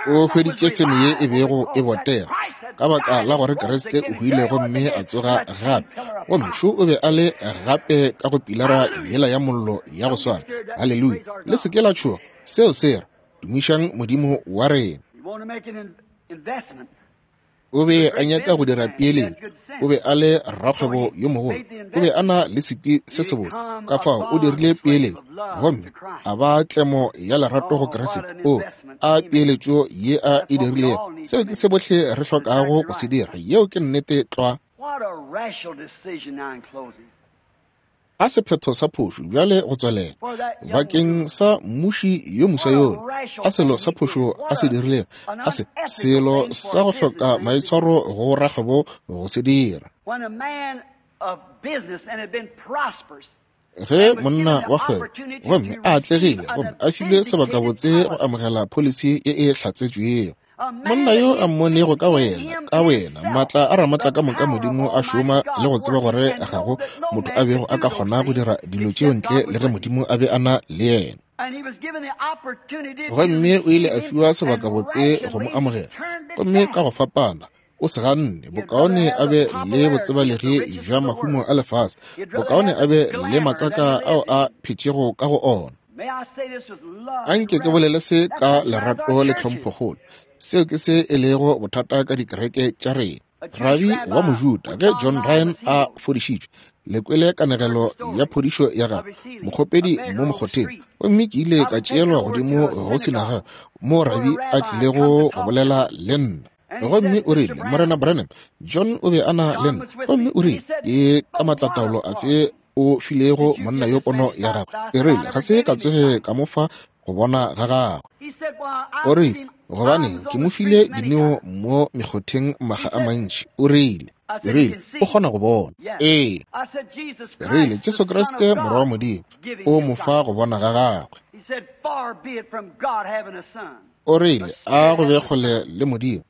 O hweditše feme ye e bego e botega, ka baka la gore Kriste o hwile gomme a tsoga gape, gomme šo o be a le gape ka go pilara yela ya mollo ya go swana. Haleluya! Le se ke la tšhoga, seo se re, tumišang Modimo wa rena. O be a nyaka go dira peeletšo. O be a le rakgwebo yo mogolo. O be a na le sekwi se sebotse, ka fao o dirile peeletšo gomme a ba tlemo ya lerato go Kriste. O a peeletšo ye a e dirilego. Seo ke se bohle re hlokago go se dira. Yeo ke nnete tlwa. A sephetho sa phošo bjale go tswelela bakeng sa mmuši yo moswa yola. A selo sa phošo a se dirilego, a se selo sa go hloka maitshwaro go rakgwebo go se dira. Ge monna wa kgwebo gomme a atlegile gomme a filwe sebakabotse go amogela pholisi ye e hlatsetšwego, monna yo a mmonego ka wena, ka wena, maatla a ramatla ka moka Modimo a šoma, le go tseba gore ga go motho a bego a ka kgona go dira dilo tšeo ntle le ge Modimo a be a na le yena. Gomme o ile a fiwa sebakabotse go mo amogela, gomme ka go fapana O se ganne. Bokaone a be le botsebalegi bja mahumo a lefase. Bokaone a be le matsaka ao a phetšego ka go ona. Anke ke bolele se ka lerato le tlhomphokgolo. Seo ke se e lego bothata ka dikereke tša rena. Rabi wa Mojuda ge John Ryan a fodišitšwe, le kwele kanegelo ya phodišo ya gagwe, mokgopedi mo mokgotheng. Gomme ke ile ka tšeelwa godimo go sinaga mo rabi a tlilego go bolela le nna. Gomme o rile, Morena Branham, John o be a na le nna. Gomme o rile, ke ka matlataolo afe o filego monna yo pono ya gagwe? E rile, ga se ka tsoge ka mo fa go bona ga gagwe. O rile, gobane ke mo file dineo mo mekgotheng maga a mantši. O rile, ke rile, o kgona go bona. Ee. Ke rile, Jesu Kriste morwa wa Modimo o mo fa go bona ga gagwe. O rile, a go be kgole le Modimo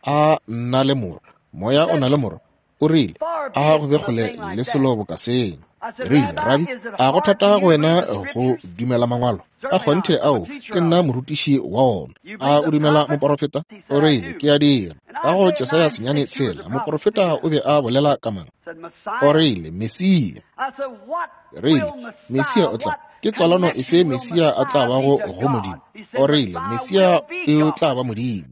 a nna le morwa. Moya o na le morwa. O rile, a go be kgole le selo boka seng. Rile, Rabi, a go thata go wena go dumela mangwalo? A kgonthe ao, ke nna morutiši wa ona. A o dumela moporofeta? O rile, ke a dira. Ka go Jesaya senyane tshela, moporofeta o be a bolela ka mang? O rile, Mesia. Rile, Mesia o tla. Ke tswalano efe Mesia a tla bago go Modimo? O rile, Mesia o tla ba Modimo.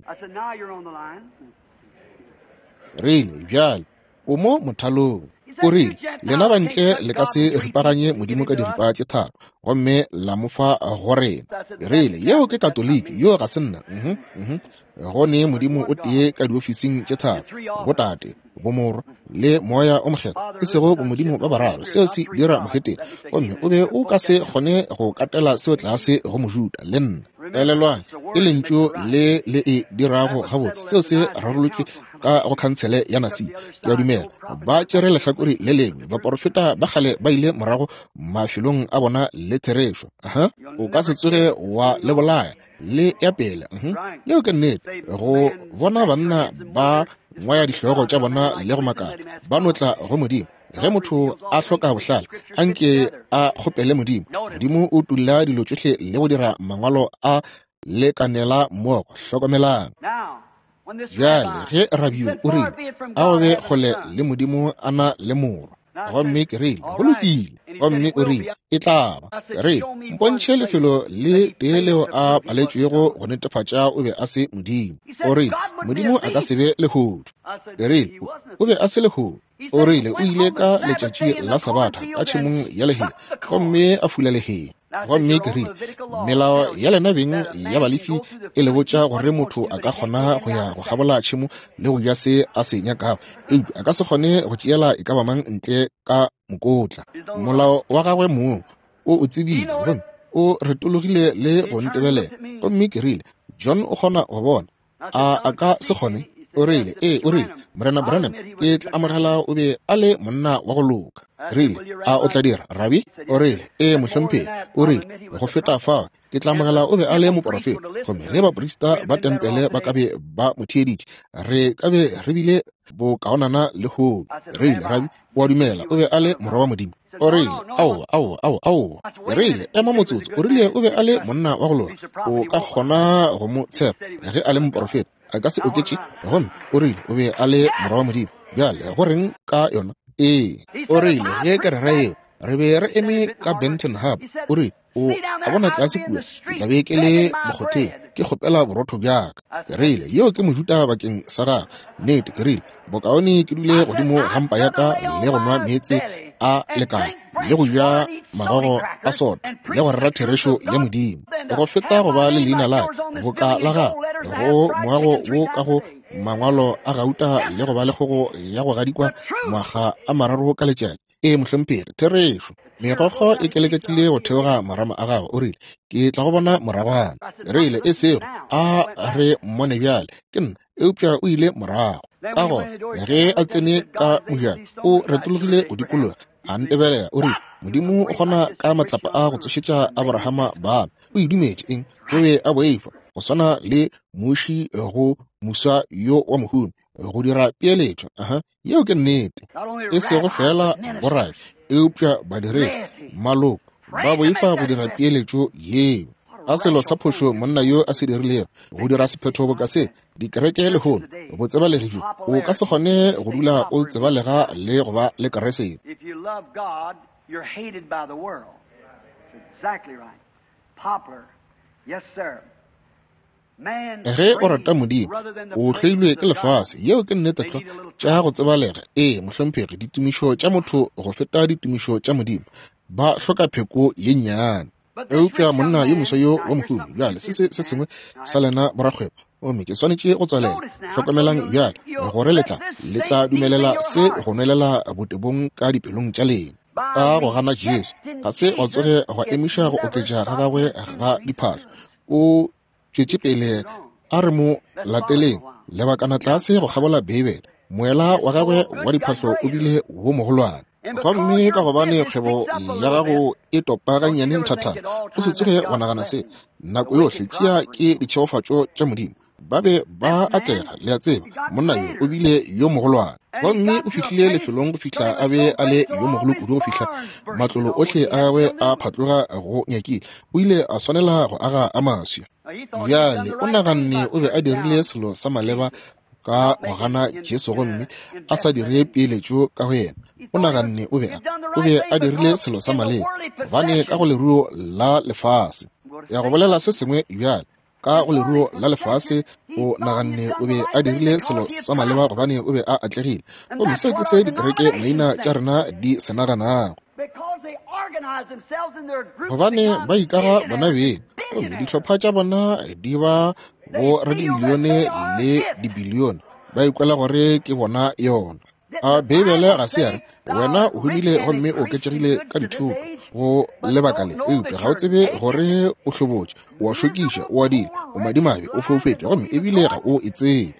Rile, bjale o mo mothalong. O rile, lena bantle le ka se ripaganye Modimo ka diripa tše tharo, gomme la mo fa go rena. Rile, yeo ke Katoliki, yo ga se nna. Mhm, mhm. Go ne Modimo o tee ka diofising tše tharo, botate, bomorwa le moya o mokgethwa, e sego bomodimo ba bararo. Seo se dira mohetene, gomme o be o ka se kgone go katela seo tlase go Mojuda le nna. Elelwang, ke lentšu le le e dirago gabotse. Seo se rarolotšwe ka go khansele ya Nasi. Ke a dumela ba tšere lehlakore le lengwe. Baporofeta ba kgale ba ile morago mafelong a bona le therešo. Aha, o ka se tsoge wa le bolaya le ya pele. Yeo ke nnete. Go bona banna ba ngwaya dihlogo tša bona le go makala, ba no tla go Modimo. Ge motho a hloka bohlale, anke a kgopele Modimo. Modimo o tulla dilo tšohle le go dira mangwalo a lekanela mmogo. Hlokomelang. Bjale ge rabi o rile, a go be kgole le Modimo a na le morwa. Gomme ke rile, go lokile. Gomme o rile, e tla ba. Ke rile, mpontšhe lefelo le tee leo a paletšwego go netefatša o be a se Modimo. O rile, Modimo a ka se be lehodu. Ke rile, o be a se lehodu. O rile, o ile ka letšatši la Sabatha ka tšhemong ya lehea, gomme a fula lehea. Gomme ke rile, melao ya lena beng ya balefi e le botša gore motho a ka kgona go ya go kgabola tšhemo le go ja se a se nyakago, eupša a ka se kgone go tšeela e ka ba mang ntle ka mokotla. Molao wa gagwe mong o o tsebile, gomme o retologile le go ntebelela. Gomme ke rile, John o kgona go bona, a a ka se kgone? O rile, ee. O rile, Morena Branham, ke tla amogela o be a le monna wa go loka. Rile, a o tla dira, Rabi? O rile, ee, mohlomphegi. O rile, go feta fao, ke tla amogela o be a le moporofeta. Gomme ge baprista ba tempele ba ka be ba mo theeditše, re ka be re bile bokaonana lehono. Rile, Rabi, o a dumela o be a le morwa wa Modimo? O rile, aowa, aowa, aowa, aowa. Rile, ema motsotso. O rile o be a le monna wa go loka. O ka kgona go mo tshepa ge a le moporofeta. A ka se oketše. Gomme o rile o be a le morwa wa Modimo. Bjale go reng ka yona? Ee. O rile ge ke rera yeo, re be re eme ka Benton Harbor. O rile, o a bona tlase kua, ke tla be ke le mokgotheng, ke kgopela borotho bjaka. Ke rile, yeo ke Mojuda bakeng sa gagwe. Nnete. Ke rile, bokaone ke dule godimo ga mpa ya ka le go nwa meetse a lekana le go ja magogo a sona le go rera therešo ya Modimo, go feta go ba le leina la boka la gagwe go moago wo ka go mangwalo a gauta le go ba le kgogo ya go gadikwa ngwaga a mararo ka letšatši. Ee, mohlomphegi, therešo. Megokgo e keleketile go theoga marama a gagwe. O rile, ke tla go bona moragwana. Rile, e sego a re mmone bjale, ke nna. Eupša o ile morago. Ka gona ge a tsene ka mojako, o retologile go dikologa, a ntebelela. O rile, Modimo o kgona ka matlapa a go tsošetša Abrahama bana. O e dumetše eng? O be a boifa, go swana le muši go muswa yo wa mohumi, go dira peeletšo. Aha, yeo ke nnete. E sego fela borabi, eupša badiredi, maloko, ba boifa go dira peeletšo yeo. A selo sa phošo monna yo a se dirilego, go dira sephetho boka se. Dikereke lehono Botsebalegi bjo, o ka se kgone go dula o tsebalega le go ba le Kriste. Ge o rata Modimo, o hloilwe ke lefase. Yeo ke nnete tlwa. Tša go tsebalega, ee, mohlomphegi, ditumišo tša motho go feta ditumišo tša Modimo. Ba hloka pheko ye nnyane. Eupša monna yo moswa yo wa mohumi, bjale se se se sengwe sa lena borakgwebo, gomme ke swanetše go tswalela. Hlokomelang bjale gore le tla le tla dumelela se go nwelela botebong ka dipelong tša lena. Ka go gana Jesu, ga se gwa tsoge gwa emiša go oketša ga gagwe ga diphahlo. O tšwetše pele a re mo lateleng lebakana tlase go kgabola Beibele. Moela wa gagwe wa diphahlo o bile wo mogolwane. Gomme ka gobane kgwebo ya gago e topa gannyane nthathana, o se tsoge wa nagana se nako yohle. Tšea ke ditšhegofatšo tša Modimo. Ba be ba atlega, le a tseba. Monna yo o bile yo mogolwane, gomme o fihlile lefelong go fihla a be a le yo mogolo kudu go fihla matlolo ohle a gagwe a phatloga go nyakile. O ile a swanela go aga a maswi. Bjale o naganne o be a dirile selo sa maleba ka go gana Jesu gomme a sa dire peeletšo ka go yena. O naganne o be a o be a dirile selo sa maleba, gobane ka go leruo la lefase. Ya go bolela se sengwe bjale, ka go leruo la lefase o naganne o be a dirile selo sa maleba gobane o be a atlegile. Gomme seo ke se dikereke maina tša rena di se naganago, gobane ba ikaga bona beng, gomme dihlopha tša bona di ba bo radimilione le dibilione, ba ikwela gore ke bona yona. A Beibele ga se ya re wena o humile gomme o oketšegile ka dithoto go lebaka le, eupša ga o tsebe gore o hlobotše, o a šokiša, o adile, o madimabe, o foufetše, gomme ebile ga o e tsebe.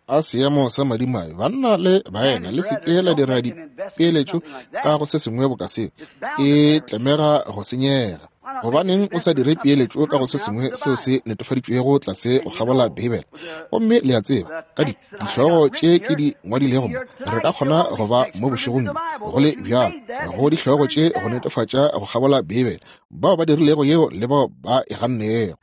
A seemo sa madimabe, banna le baena, le seke la dira dipeeletšo ka go se sengwe boka seo, e tlemega go senyega. Gobaneng o sa dire peeletšo ka go se sengwe seo se netefaditšwego tlase go kgabola Beibele? Gomme le a tseba, ka di dihlogo tše ke di ngwadilego mo, re ka kgona go ba mo bošegong go le bjalo go dihlogo tše go netefatša go kgabola Beibele, bao ba dirilego yeo le bao ba e gannego.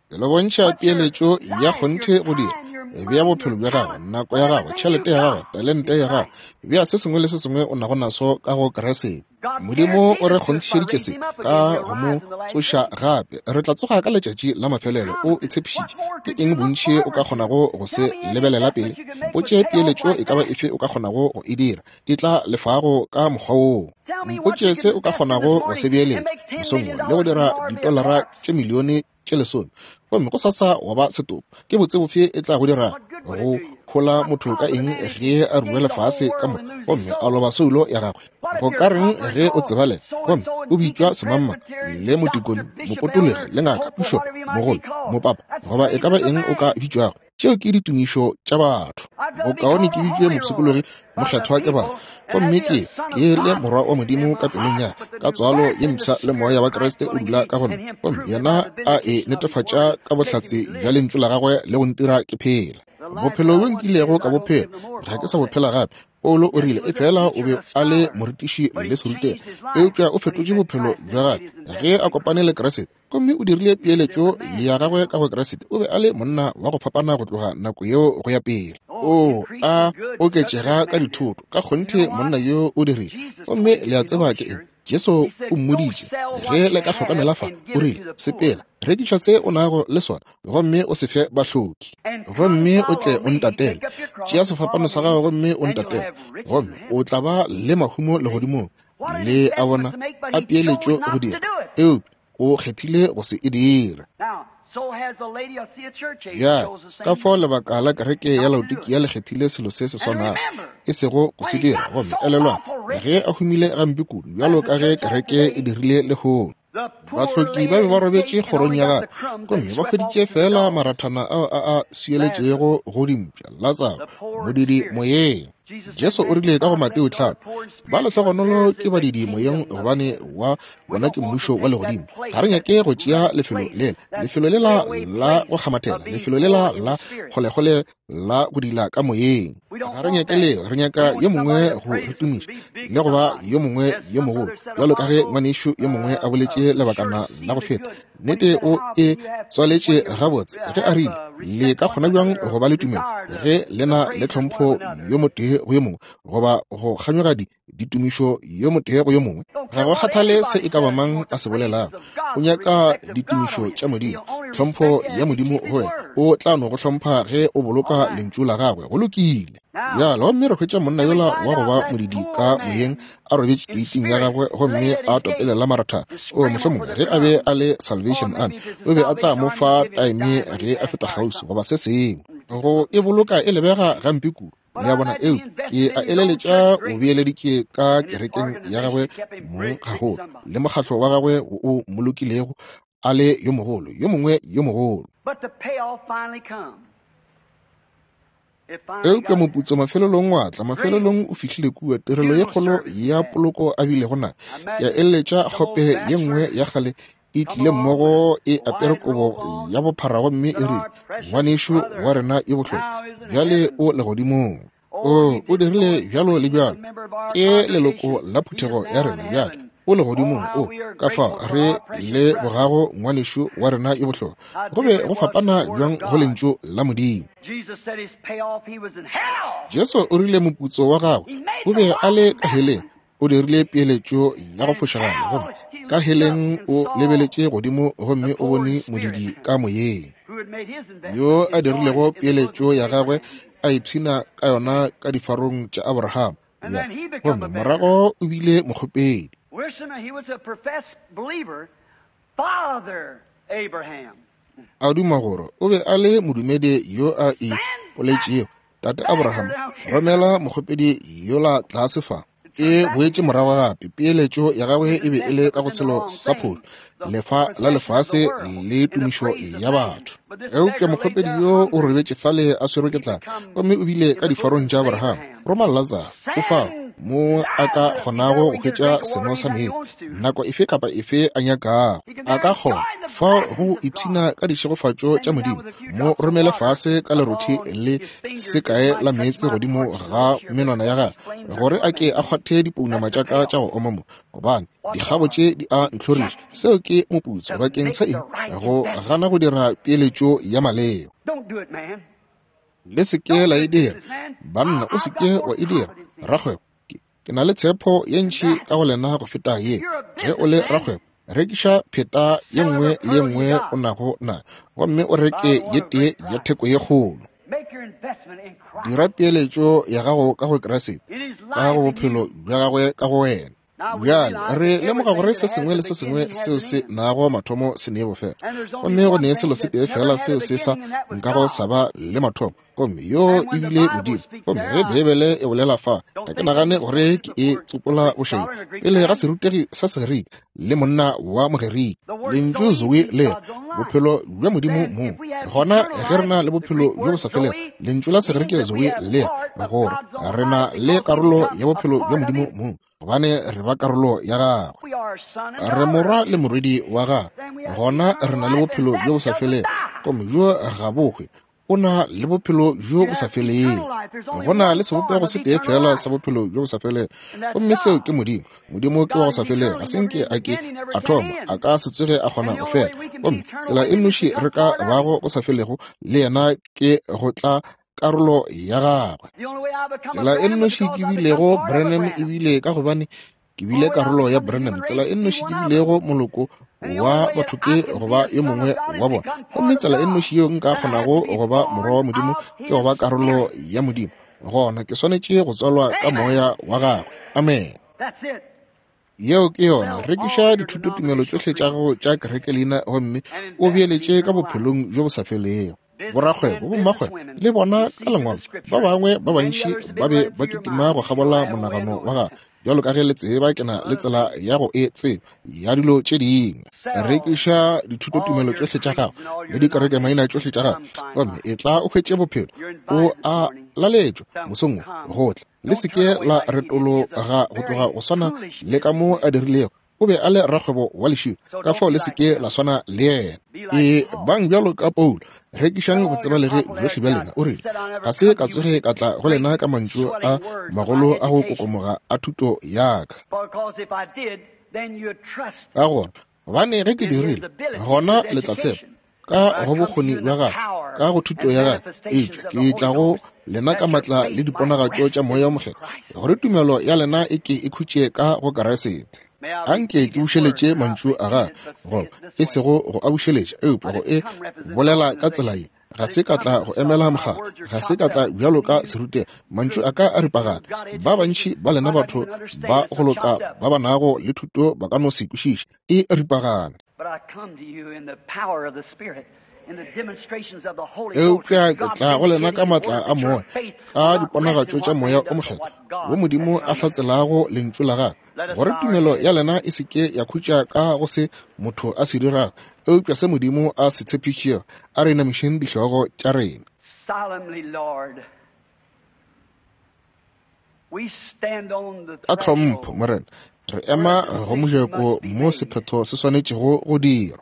Ke le bontšha peeletšo ya kgonthe go dira. Bea bophelo bja gago, nako ya gago, tšhelete ya gago, talente ya gago, bea se sengwe le se sengwe o nago naso ka go Kriste. Modimo o re kgonthišeditše se ka go mo tsoša gape. Re tla tsoga ka letšatši la mafelelo. O e tshepišitše. Ke eng bontši o ka kgonago go se lebelela pele? Mpotše peeletšo e ka ba efe o ka kgonago go e dira, e tla lefago ka mokgwa woo. Mpotše se o ka kgonago go se beeletša mosong wo le go dira ditolara tše milione tše lesome, gomme go sasa wa ba setopo. Ke botse bofe e tla go dira go hola motho ka eng ge a rua lefase ka moka gomme a loba soulo ya gagwe? Go ka reng ge o tsebalega gomme o bitšwa semamma le motikoni, mopotologi, le ngaka, pišopo, mogolo, mopapa, goba e ka ba eng o ka bitšwago? Tšeo ke ditumišo tša batho. Bokaone ke bitšwe mopshikologi, mohlathwa ke batho, gomme ke ke le morwa wa Modimo ka pelong ya ka tswalo ye mpsha le moya wa Kriste o dula ka go nna, gomme yena a e netefatša ka bohlatse bja lentšu la gagwe le go ntira ke phela. Bophelo bjo nkilego ka bophela ga ke sa bophela gape. Paulo o rile efela o be a le morutiši le serutegi, eupša o fetotše bophelo bja gagwe ge a kopane le Kriste, gomme o dirile peeletšo ya gagwe ka go Kriste. O be a le monna wa go fapana go tloga nako yeo go ya pele. O a oketšega ka dithoto, ka kgonthe monna yo o dirile. Gomme le a tseba ke eng? Jesu o mmoditše, ge le ka hlokomela fa, o rile, sepela, rekiša se o nago le sona, gomme o se fe bahloki, gomme o tle o ntatele. Tšea sefapano sa gago gomme o ntatele, gomme o tla ba le mahumo legodimong. Le a bona, a peeletšo go dira, eupša o kgethile go se e dira. Ya, ka fao lebaka la kereke ya Laodikia le kgethile selo se se swanago, e sego go se dira. Gomme elelwang, ge a humile gampe kudu, bjalo ka ge kereke e dirile lehono. Bahloki ba be ba robetše kgorong ya gagwe, gomme ba hweditše fela marathana ao a a swieletšego go dimpša, Latsaro, modidi moyeng. Jesu o rile ka go Mateo tlhano, ba lehlogonolo ke badidi moyeng, gobane wa bona ke mmušo wa legodimo. Ga re nyake go tšea lefelo lela, lefelo lela la go kgamathela, lefelo lela la kgolekgole la go dila ka moyeng. Ga re nyake leo, re nyaka yo mongwe go re tumiša le go ba yo mongwe yo mogolo, bjalo ka ge ngwanešu yo mongwe a boletše lebakana la go feta. Nnete o e tswaletše gabotse ge a rile, le ka kgona bjang go ba le tumelo ge le na le tlhompho yo motee go yo mongwe, goba go kganyoga di ditumišo yo motee go yo mongwe? Ga go kgathale se e ka ba mang a se bolelago, o nyaka ditumišo tša Modimo, tlhompho ya Modimo go wena. O tla no go hlompha ge o boloka lentšu la gagwe. Go lokile. Bjale gomme re hwetša monna yola wa go ba modidi ka moyeng a robetše keiting ya gagwe gomme a topelela maratha. O mohlomongwe ge a be a le Salvation Army, o be a tla mo fa taeme ge a feta kgauswi goba se sengwe. Go e boloka e lebega gampe kudu. Le a bona, eo ke a eleletša o beeleditše ka kerekeng ya gagwe mong gagolo le mokgatlo wa gagwe o molokilego a le yo mogolo, yo mongwe yo mogolo. Eupša moputso mafelelong wa tla, mafelelong o fihlile kua. Tirelo ye kgolo ya poloko a bilego na. Ke a eleletša kgope ye nngwe ya kgale e tlile mmogo e apere kobo ya bophara gomme e rile, ngwanešu wa rena yo bohlokwa bjale o legodimong. O o dirile bjalo le bjalo, ke leloko la phuthego ya rena bjale o legodimong. O ka fao re le bogago ngwanešu wa rena yo bohlokwa. Go be go fapana bjang go lentšu la Modimo. Jesu o rile moputso wa gagwe o be a le ka heleng. O dirile peeletšo ya go fošagala, gomme ka heleng o lebeletše godimo gomme o bone modidi ka moyeng yo a dirilego peeletšo ya gagwe a ipshina ka yona ka difarong tša Abraham. Ya, gomme morago o bile mokgopedi. A duma gore o be a le modumedi yo a ipoletšego. Tate Abraham, romela mokgopedi yola tlase fa. E boetše morago gape. Peeletšo ya gagwe e be e le ka go selo sa pholo, lefa la lefase le tumišo ya batho. Eupša mokgopedi yo o robetše fale a swerwe ke tlala, gomme o bile ka difarong tša Abraham. Roma Lazaro, o fao mo a ka kgonago go hwetša seno sa meetse nako efe kapa efe a nyakago. A ka kgona fao go ipshina ka dišegofatšo tša Modimo. Mo romele fase ka lerothi le sekae la meetse godimo ga menwana ya gagwe, gore a ke a kgwathe dipounama tša ka tša go oma mo, gobane dikgabo tše di a ntlhoriša. Seo ke moputso bakeng sa eng? Go gana go dira peeletšo ya maleba. Le se ke la e dira, banna. O se ke wa e dira, rakgwebo. Ke na le tshepo ye ntši ka go lena go feta ye. Ge o le rakgwebo, rekiša pheta ye nngwe le ye nngwe o nago na, gomme o reke ye tee ya theko ye kgolo. Dira peeletšo ya gago ka go Kriste, ka go bophelo bja gagwe ka go wena. Bjale re lemoga gore se sengwe le se sengwe seo se nago mathomo se nee bofelo, gomme go nee selo se tee fela seo se sa nkago sa ba le mathomo, gomme yo e bile Modimo. Gomme ge Beibele e bolela fa, ga ke nagane gore ke e tsopola bošaedi pele ga serutegi sa Segerika le monna wa Mogerika. Lentšu Zoe le bophelo bja Modimo mong. Gona ge re na le bophelo bjo bo sa felego, lentšu la Segerika Zoe le gore re na le karolo ya bophelo bja Modimo mong, gobane re ba karolo ya gagwe. Re morwa le morwedi wa gagwe. Gona re na le bophelo bjo bo sa felego, gomme bjo ga bo hwe. O na le bophelo bjo bo sa felego. Go na le sebopego se tee fela sa bophelo bjo bo sa felego, gomme seo ke Modimo. Modimo ke wa go sa felego, ga se nke a ke a thoma, a ka se tsoge a kgona go fela. Gomme tsela e nnoši re ka bago go sa felego le yena ke go tla karolo ya gagwe. Tsela e nnoši ke bilego Branham e bile ka gobane ke bile karolo ya Branham. Tsela e nnoši ke bilego moloko wa batho ke go ba yo mongwe wa bona. Gomme tsela e nnoši yeo nka kgonago go ba morwa wa Modimo ke go ba karolo ya Modimo. Gona ke swanetše go tswalwa ka moya wa gagwe. Amen. Yeo ke yona. Rekiša dithutotumelo tšohle tša gago tša kereke leina gomme o beeletše ka bophelong bjo bo sa felego. Borakgwebo, bommakgwebo le bona ka lengwalo ba bangwe ba bantši ba be ba kitima go kgabola monagano wa gagwe. Bjalo ka ge le tseba, ke na le tsela ya go e tseba ya dilo tše dingwe. Rekiša dithutotumelo tšohle tša gago le dikerekemaina tšohle tša gago, gomme e tla o hwetše bophelo. O a laletšwa mosong wo go tla. Le se ke la retologa go tloga go swana le ka mo a dirilego. O be a le rakgwebo wa lešilo, ka fao le se ke la swana le yena. E bang bjalo ka Paulo, rekišang botsebalegi bjohle bja lena. O rile, ga se ka tsoge ka tla go lena ka mantšu a magolo a go kokomoga a thuto ya ka. Ka gore, gobane ge ke dirile, gona le tla tshepa ka go bokgoni bja gagwe, ka go thuto ya gagwe, eupša ke tla go lena ka matla le diponagatšo tša Moya o Mokgethwa, gore tumelo ya lena e ke e khutše ka go Kriste. Anke ke bušeletše mantšu a gagwe, goba e sego go a bušeletša, eupša go e bolela ka tsela ye. Ga se ka tla go emela mokgatlo, ga se ka tla bjalo ka serutegi, mantšu a ka a ripagana. Ba bantši ba lena batho ba go loka ba ba nago le thuto ba ka no se kwešiše, e ripagana. Eupša ke tla go lena ka matla a moya, ka diponagatšo tša Moya o Mokgethwa, wo Modimo a hlatselago lentšu la gagwe, gore tumelo ya lena e se ke ya khutša ka go se motho a se dirago, eupša se Modimo a se tshepišitšego. A re inamišeng dihlogo tša rena. Ka tlhompho, Morena, re ema go mojako mo sephetho se swanetšego go dirwa.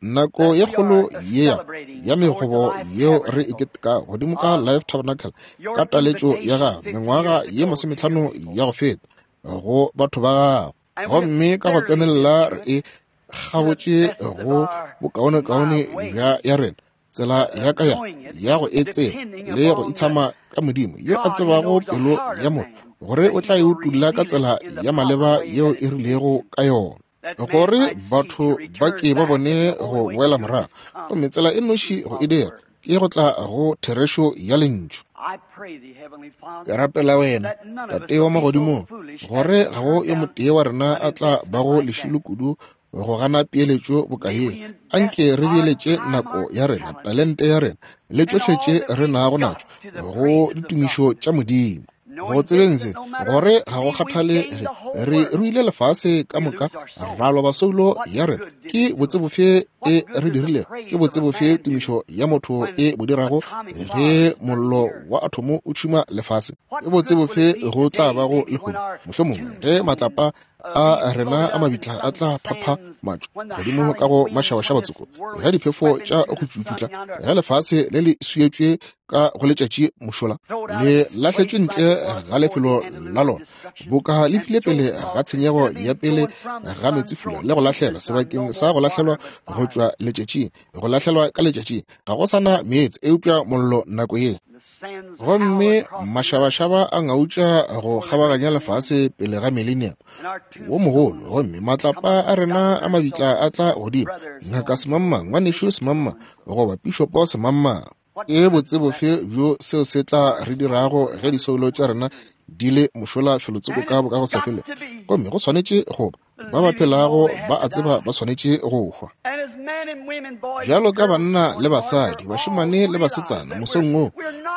Nako ye kgolo ye ya megobo yeo re e keteka godimo ka Life Tabernacle ka taletšo ya gago mengwaga ye masometlhano ya go feta go batho ba gago, gomme ka go tsenelela re e kgabotše go bokaonekaone bja ya rena, tsela ya ka ya ya go e tseba le go itshama ka Modimo yo a tsebago pelo ya motho, gore o tla e utulla ka tsela ya maleba yeo e rilego ka yona, gore batho ba ke ba bone go boela morago. Gomme tsela e noši go e dira ke go tla go therešo ya lentšu. Ke rapela wena, Tate wa magodimong, gore ga go yo motee wa rena a tla bago lešilo kudu go gana peeletšo boka ye. Anke re beeletše nako ya rena, talente ya rena le tšohle tše re nago natšo go ditumišo tša Modimo. Go tsebeng se, gore ga go kgathale ge re ruile lefase ka moka, ra loba soulo ya rena, ke botsebofe e re dirilego, ke botsebofe tumišo ya motho e bo dirago ge mollo wa athomo o tšhuma lefase? Ke botsebofe go tla bago lehono, mohlomongwe ge matlapa a rena a mabitla a tla phapha matšo godimo ka go mašabašaba tsoko, ge diphefo tša go tšutšutla, ge lefase le le swietšwe ka go letšatši mošola, le lahletšwe ntle ga lefelo la lona, boka le phile pele ga tshenyego ya pele ga meetsefula, le go lahlelwa sebakeng sa go lahlelwa go tšwa letšatšing, go lahlelwa ka letšatšing, ga go sana meetse eupša mollo nako ye. Gomme mašabašaba a ngautša go kgabaganya lefase pele ga millennium wo mogolo, gomme matlapa a rena a mabitla a tla godimo, ngaka semangmang, ngwanešu semangmang, goba pišopo semangmang. Ke botsebofe bjo seo se tla re dirago ge disoulo tša rena di le mošola felotsoko ka boka go sa felego? Gomme go swanetše go ba ba phelago ba a tseba ba swanetše go hwa. Bjalo ka banna le basadi, bašemane le basetsana, mosong wo,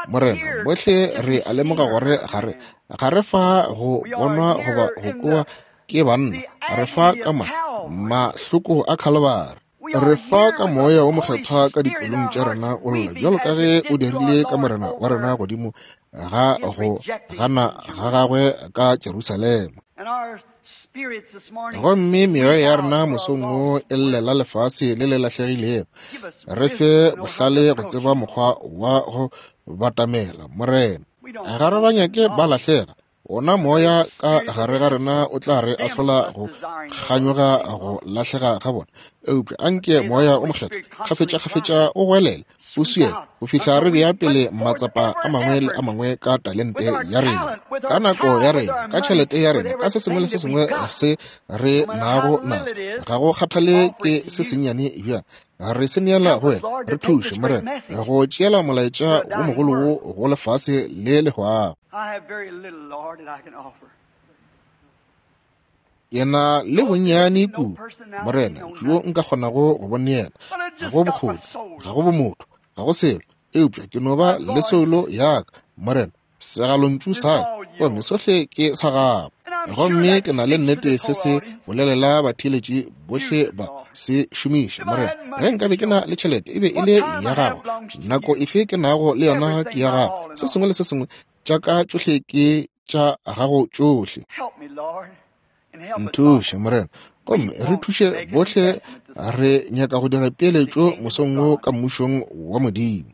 Morena, bohle re a lemoga gore ga re ga re fa go bonwa goba go kwewa ke banna, re fa ka ma mahloko a Khalibari. Re fa ka Moya wo Mokgethwa ka dipelong tša rena o lla, bjalo ka ge o dirile ka Morena wa rena godimo ga go gana ga gagwe ka Jerusalema. Gomme meoya ya rena mosong wo e llela lefase le le lahlegilego. Re fe bohlale go tseba mokgwa wa go batamela, Morena. Ga re ba nyake ba lahlega. Ona moya ka gare ga rena o tla re ahlola go kganyoga go lahlega ga bona, eupša anke Moya o Mokgethwa kgafetša-kgafetša o goelele, o swiele go fihla re bea pele matsapa a mangwe le a mangwe ka talente ya rena, ka nako ya rena, ka tšhelete ya rena, ka se sengwe le se sengwe se re nago naso. Ga go kgathale ke se sennyane bjang, re se neela go wena. Re thuše, Morena, go tšeela molaetša wo mogolo wo go lefase le le hwago. Ke na le bonnyane kudu, Morena, bjo nka kgonago go bo neela. Ga go bokgoni, ga go bomotho, ga go selo, eupša ke no ba le soulo ya ka, Morena, segalontšu sa ka, gomme sohle ke sa gago. Gomme ke na le nnete se se bolelela batheeletši bohle ba se šomiša, Morena. Ge nkabe ke na le tšhelete, e be e le ya gago. Nako efe ke nago le yona ke ya gago. Se sengwe le se sengwe tša ka tšohle ke tša gago tšohle. Nthuše, Morena, gomme re thuše bohle. Re nyaka go dira peeletšo mosong wo ka mmušong wa Modimo.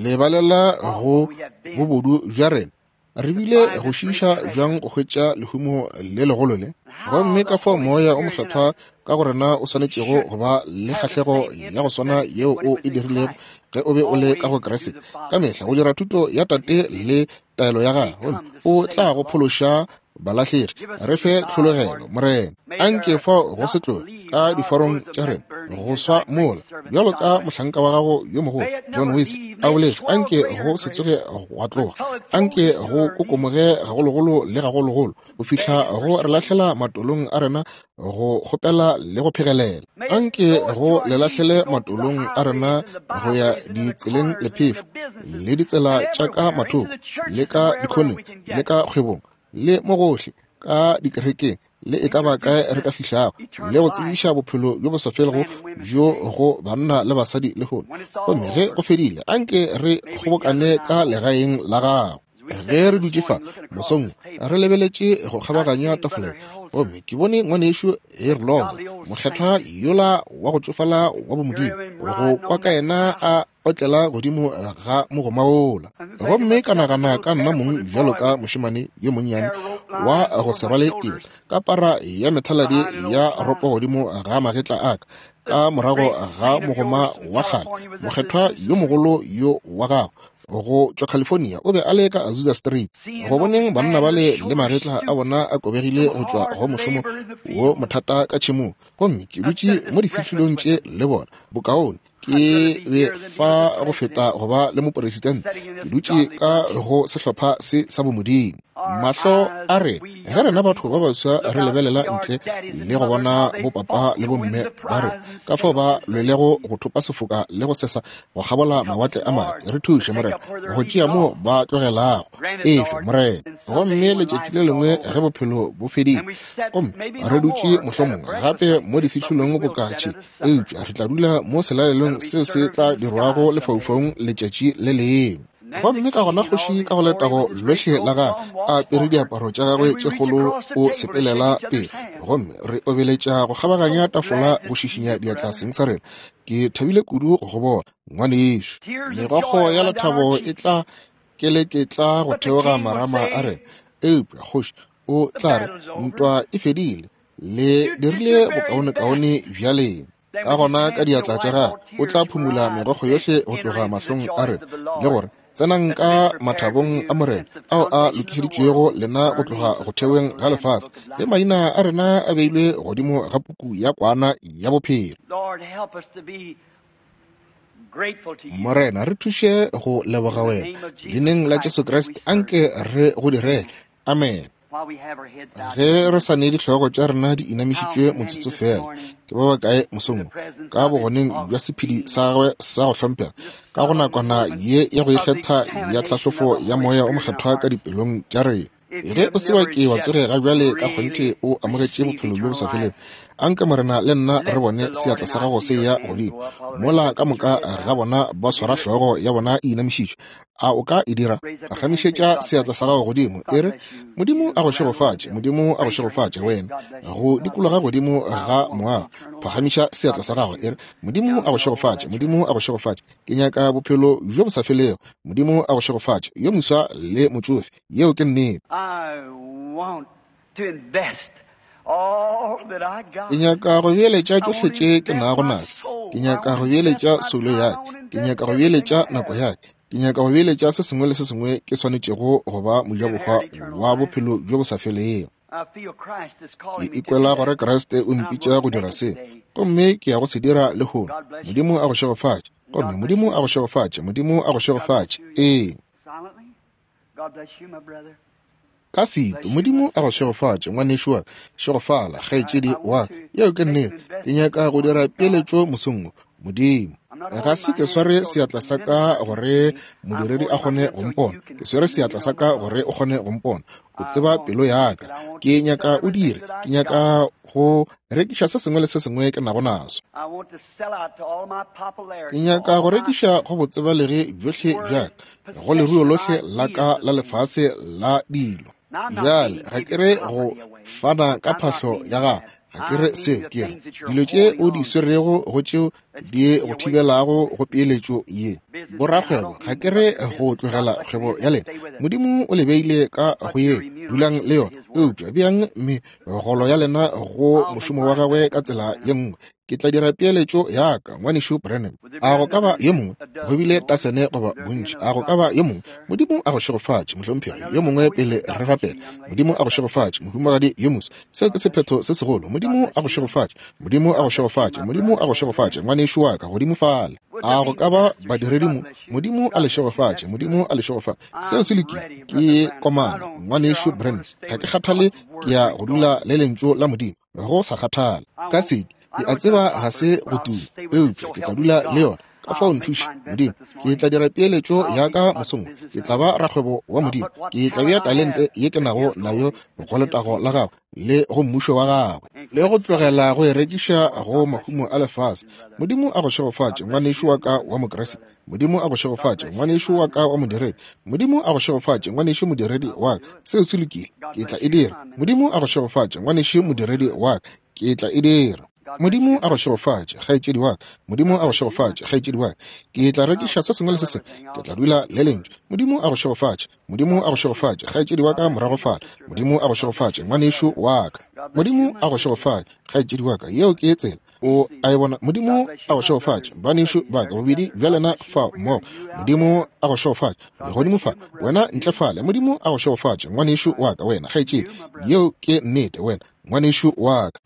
Lebalela go bobodu bja rena. Re bile go šiiša bjang go hwetša lehumo le legolo le, gomme ka fao Moya o Mokgethwa ka go rena o swanetšego go ba le kgahlego ya go swana yeo o e dirilego ge o be o le ka go Kriste, ka mehla go dira thuto ya Tate le taelo ya gagwe, gomme o tla go phološa balahlegi. Re fe tlhologelo, Morena. Anke fao go se tloge ka diforong tša rena go swa mola, bjalo ka mohlanka wa gago yo mogolo John Wesley a boletše, anke go se tsoge gwa tloga, anke go kokomoge gagologolo le gagologolo go fihla go re lahlela matolong a rena go kgopela le go phegelela. Anke go le lahlele matolong a rena go ya ditseleng le phefo le ditsela tša ka mathoko le ka dikhoneng le ka kgwebong le mo gohle ka dikerekeng le e ka ba kae re ka fihlago, le go tsebiša bophelo bjo bo sa felego bjo go banna le basadi lehono. Gomme ge go fedile, anke re kgobokane ka legaeng la gago. Ge re dutše fa mosong re lebeletše go kgabaganya tafoleng, gomme ke bone ngwanešu Herloza, mokgethwa yola wa go tšofala wa bomodimo, go kwa ka yena a otlela godimo ga mogomaola. Gomme ka nagana ka nna mong bjalo ka mošemane yo monnyane wa go se rwale tiro, ka para ya methaladi ya ropo godimo ga magetla a ka, ka morago ga mogoma wa kgale, mokgethwa yo mogolo yo wa gago go tšwa California, o be a le ka Azusa Street. Go boneng banna bale le magetla a bona a kobegile go tšwa go mošomo wo mothata ka tšhemong, gomme ke dutše mo difihlolong tše le bona, bokaone ke be fa go feta go ba le moporesidente, ke dutše ka go sehlopha se sa bomodimo. Mahlo a re ge rena batho ba baswa re lebelela ntle le go bona bopapa le bomme ba re ka fao ba lwelego go thopa sefoka le go sesa go kgabola mawatle a madi, re thuše, Morena, go tšea mo ba tlogelago. Efe, Morena. Gomme letšatši le lengwe ge bophelo bo fedile, gomme re dutše mohlomongwe gape mo difihlolong bokatše, eupša re tla dula mo selalelong seo se tla dirwago lefaufaung letšatši le lengwe. Gomme ka gona kgoši ka go letago lohle la gagwe a apere diaparo tša gagwe tše kgolo o sepelela pele, gomme re obeletša go kgabaganya tafola go šišinya diatla seng sa rena. Ke thabile kudu go go bona, ngwanešu. Megokgo ya lethabo e tla keleketla go theoga marama a rena, eupša kgoši o tla re ntwa e fedile, le dirile bokaonekaone bja lena. Ka gona ka diatla tša gagwe o tla phumula megokgo yohle go tloga mahlong a rena, le gore tsenang ka mathabong a Morena ao a lokišeditšwego lena go tloga go theweng ga lefase, le maina a rena a beilwe godimo ga puku ya kwana ya bophelo. Morena, re thuše go leboga wena. Leineng la Jesu Kriste, anke re go direle. Amen. Ge re sa ne dihlogo tša rena di inamišitšwe motsotso fela, ke ba bakae mosong ka bogoneng bja sephedi sa gagwe sa go hlomphega, ka go nakwana ye ya go ikgetha ya tlhahlofo ya Moya o Mokgethwa ka dipelong tša rena. Ge o se wa ke wa tsoge ga bjale ka kgonthe o amogetše bophelo bjo bo sa felego, anke Morena le nna re bone seatla sa gago se ya godimo mola ka moka ga bona ba swara hlogo ya bona e inamišitšwe. A o ka e dira? Phagamišetša seatla sa gago godimo, e re, Modimo a go šegofatše, Modimo a go šegofatše wena. Go dikologa godimo ga moago, phagamiša seatla sa gago, e re, Modimo a go šegofatše, Modimo a go šegofatše. Ke nyaka bophelo bjo bo sa felego. Modimo a go šegofatše, yo moswa le motšofe. Yeo ke nnete. Ke nyaka go beeletša tšohle tše ke nago natšo. Ke nyaka go beeletša soulo ya ka. Ke nyaka go beeletša nako ya ka. Ke nyaka go beeletša se sengwe le se sengwe ke swanetšego go ba mojabohwa wa bophelo bjo bo sa felego. Ke ikwela gore Kriste o mpitša go dira se, gomme ke ya go se dira lehono. Modimo a go šegofatše, gomme Modimo a go šegofatše, Modimo a go šegofatše. Ee. Ka setu, Modimo a go šegofatše, ngwanešu wa ka. Šegofala, kgaetšedi wa ka. Yeo ke nnete. Ke nyaka go dira peeletšo mosong wo. Modimo, ga se ke sware seatla sa ka gore modiredi a kgone go mpona. Ke swere seatla sa ka gore o kgone go mpona. O tseba pelo ya ka. Ke nyaka o dire. Ke nyaka go rekiša se sengwe le se sengwe ke nago naso. Ke nyaka go rekiša go botsebalegi bjohle bja ka, go leruo lohle la ka la lefase la dilo. Bjale ga ke re go fana ka phahlo ya gago, ga ke re seo, ke re dilo tše o di swerego go tšeo di go thibelago go peeletšo ye. Borakgwebo, ga ke re go tlogela kgwebo ya lena. Modimo o le beile ka go ye, dulang le yona, eupša beang megolo ya lena go mošomo wa gagwe ka tsela ye nngwe. Ke tla dira peeletšo ya ka, ngwanešu Branham. A go ka ba yo mongwe? Go bile tasene goba bontši. A go ka ba yo mongwe? Modimo a go šegofatše, mohlomphegi. Yo mongwe pele re rapela. Modimo a go šegofatše, mohumagadi yo moso. Seo ke sephetho se segolo. Modimo a go šegofatše. Modimo a go šegofatše. Modimo a go šegofatše, ngwanešu wa ka, godimo fale. A go ka ba badiredi mo? Modimo a le šegofatše. Modimo a le šegofatše. Seo se lokile. Ke komana, ngwanešu Branham. Ga ke kgathale, ke ya go dula le lentšu la Modimo, go sa kgathale. Ka seke, ke a tseba ga se go tuma, eupša ke tla dula le yona. Ka fao nthuše, Modimo. Ke tla dira peeletšo ya ka mosong. Ke tla ba rakgwebo wa Modimo. Ke tla bea talente ye ke nago nayo go letago la gagwe le go mmušo wa gagwe, le go tlogela go e rekiša go mahumo a lefase. Modimo a go šegofatše, ngwanešu wa ka wa Mokriste. Modimo a go šegofatše, ngwanešu wa ka wa modiredi. Modimo a go šegofatše, ngwanešu modiredi wa ka. Seo se lokile. Ke tla e dira. Modimo a go šegofatše, ngwanešu modiredi wa ka. Ke tla e dira. Modimo a go šegofatše, kgaetšedi wa ka. Modimo a go šegofatše, kgaetšedi wa ka. Ke tla rekiša se sengwe le se sengwe. Ke tla dula le lentšu. Modimo a go šegofatše. Modimo a go šegofatše, kgaetšedi wa ka morago fale. Modimo a go šegofatše, ngwanešu wa ka. Modimo a go šegofatše, kgaetšedi wa ka. Yeo ke tsela. O a e bona. Modimo a go šegofatše, banešu ba ka, bobedi bja lena fa mmogo. Modimo a go šegofatše, godimo fa, wena ntle fale. Modimo a go šegofatše, ngwanešu wa ka, wena kgaetšedi. Yeo ke nnete, wena ngwanešu wa ka.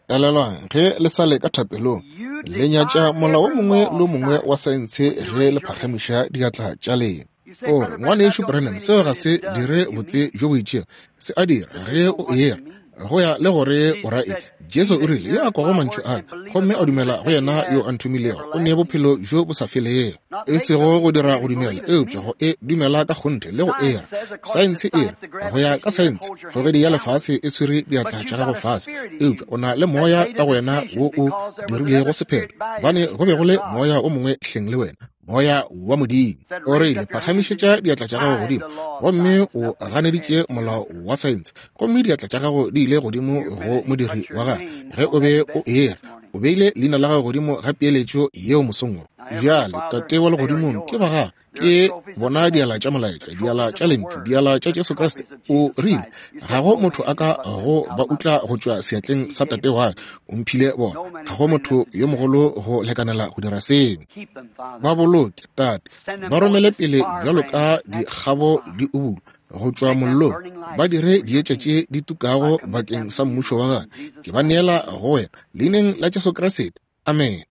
Elelwang, ge le sa le ka thapelong, le nyatša molao o mongwe le o mongwe wa saense ge le phagamiša diatla tša lena. O re, ngwanešu Branham, seo ga se dire botse bjo bo itšego. Se a dira ge o era, go ya le gore o ra eng. Jesu o rile, yo a kwago mantšu a ka gomme a dumela go yena yo a nthomilego, o ne bophelo bjo bo sa felego. E sego go dira go dumela, eupša go e dumela ka kgonthe le go era. Saense e re, go ya ka saense, kgogedi ya lefase e swere diatla tša gago fase, eupša o na le moya ka go wena wo o dirilego sephetho, gobane go be go le moya o mongwe hleng le wena, moya wa Modimo. O rile, phagamišetša diatla tša gago godimo, gomme o ganeditše molao wa saense, gomme diatla tša gago di ile godimo go modiri wa gagwe ge o be o era. O beile leina la gago godimo ga peeletšo yeo mosong wo. Bjale, Tate wa legodimong, ke ba gago. Ke bona diala tša molaetša, diala tša lentšu, diala tša Jesu Kriste. O rile, ga go motho a ka go ba utla go tšwa seatleng sa Tate wa ka. O mphile bona. Ga go motho yo mogolo go lekanela go dira seo. Ba boloke, Tate. Ba romele pele bjalo ka dikgabo di ubulwa go tšwa mollong. Ba dire dietša tše di tukago bakeng sa mmušo wa gagwe. Ke ba neela go wena, leineng la Jesu Kriste. Amen.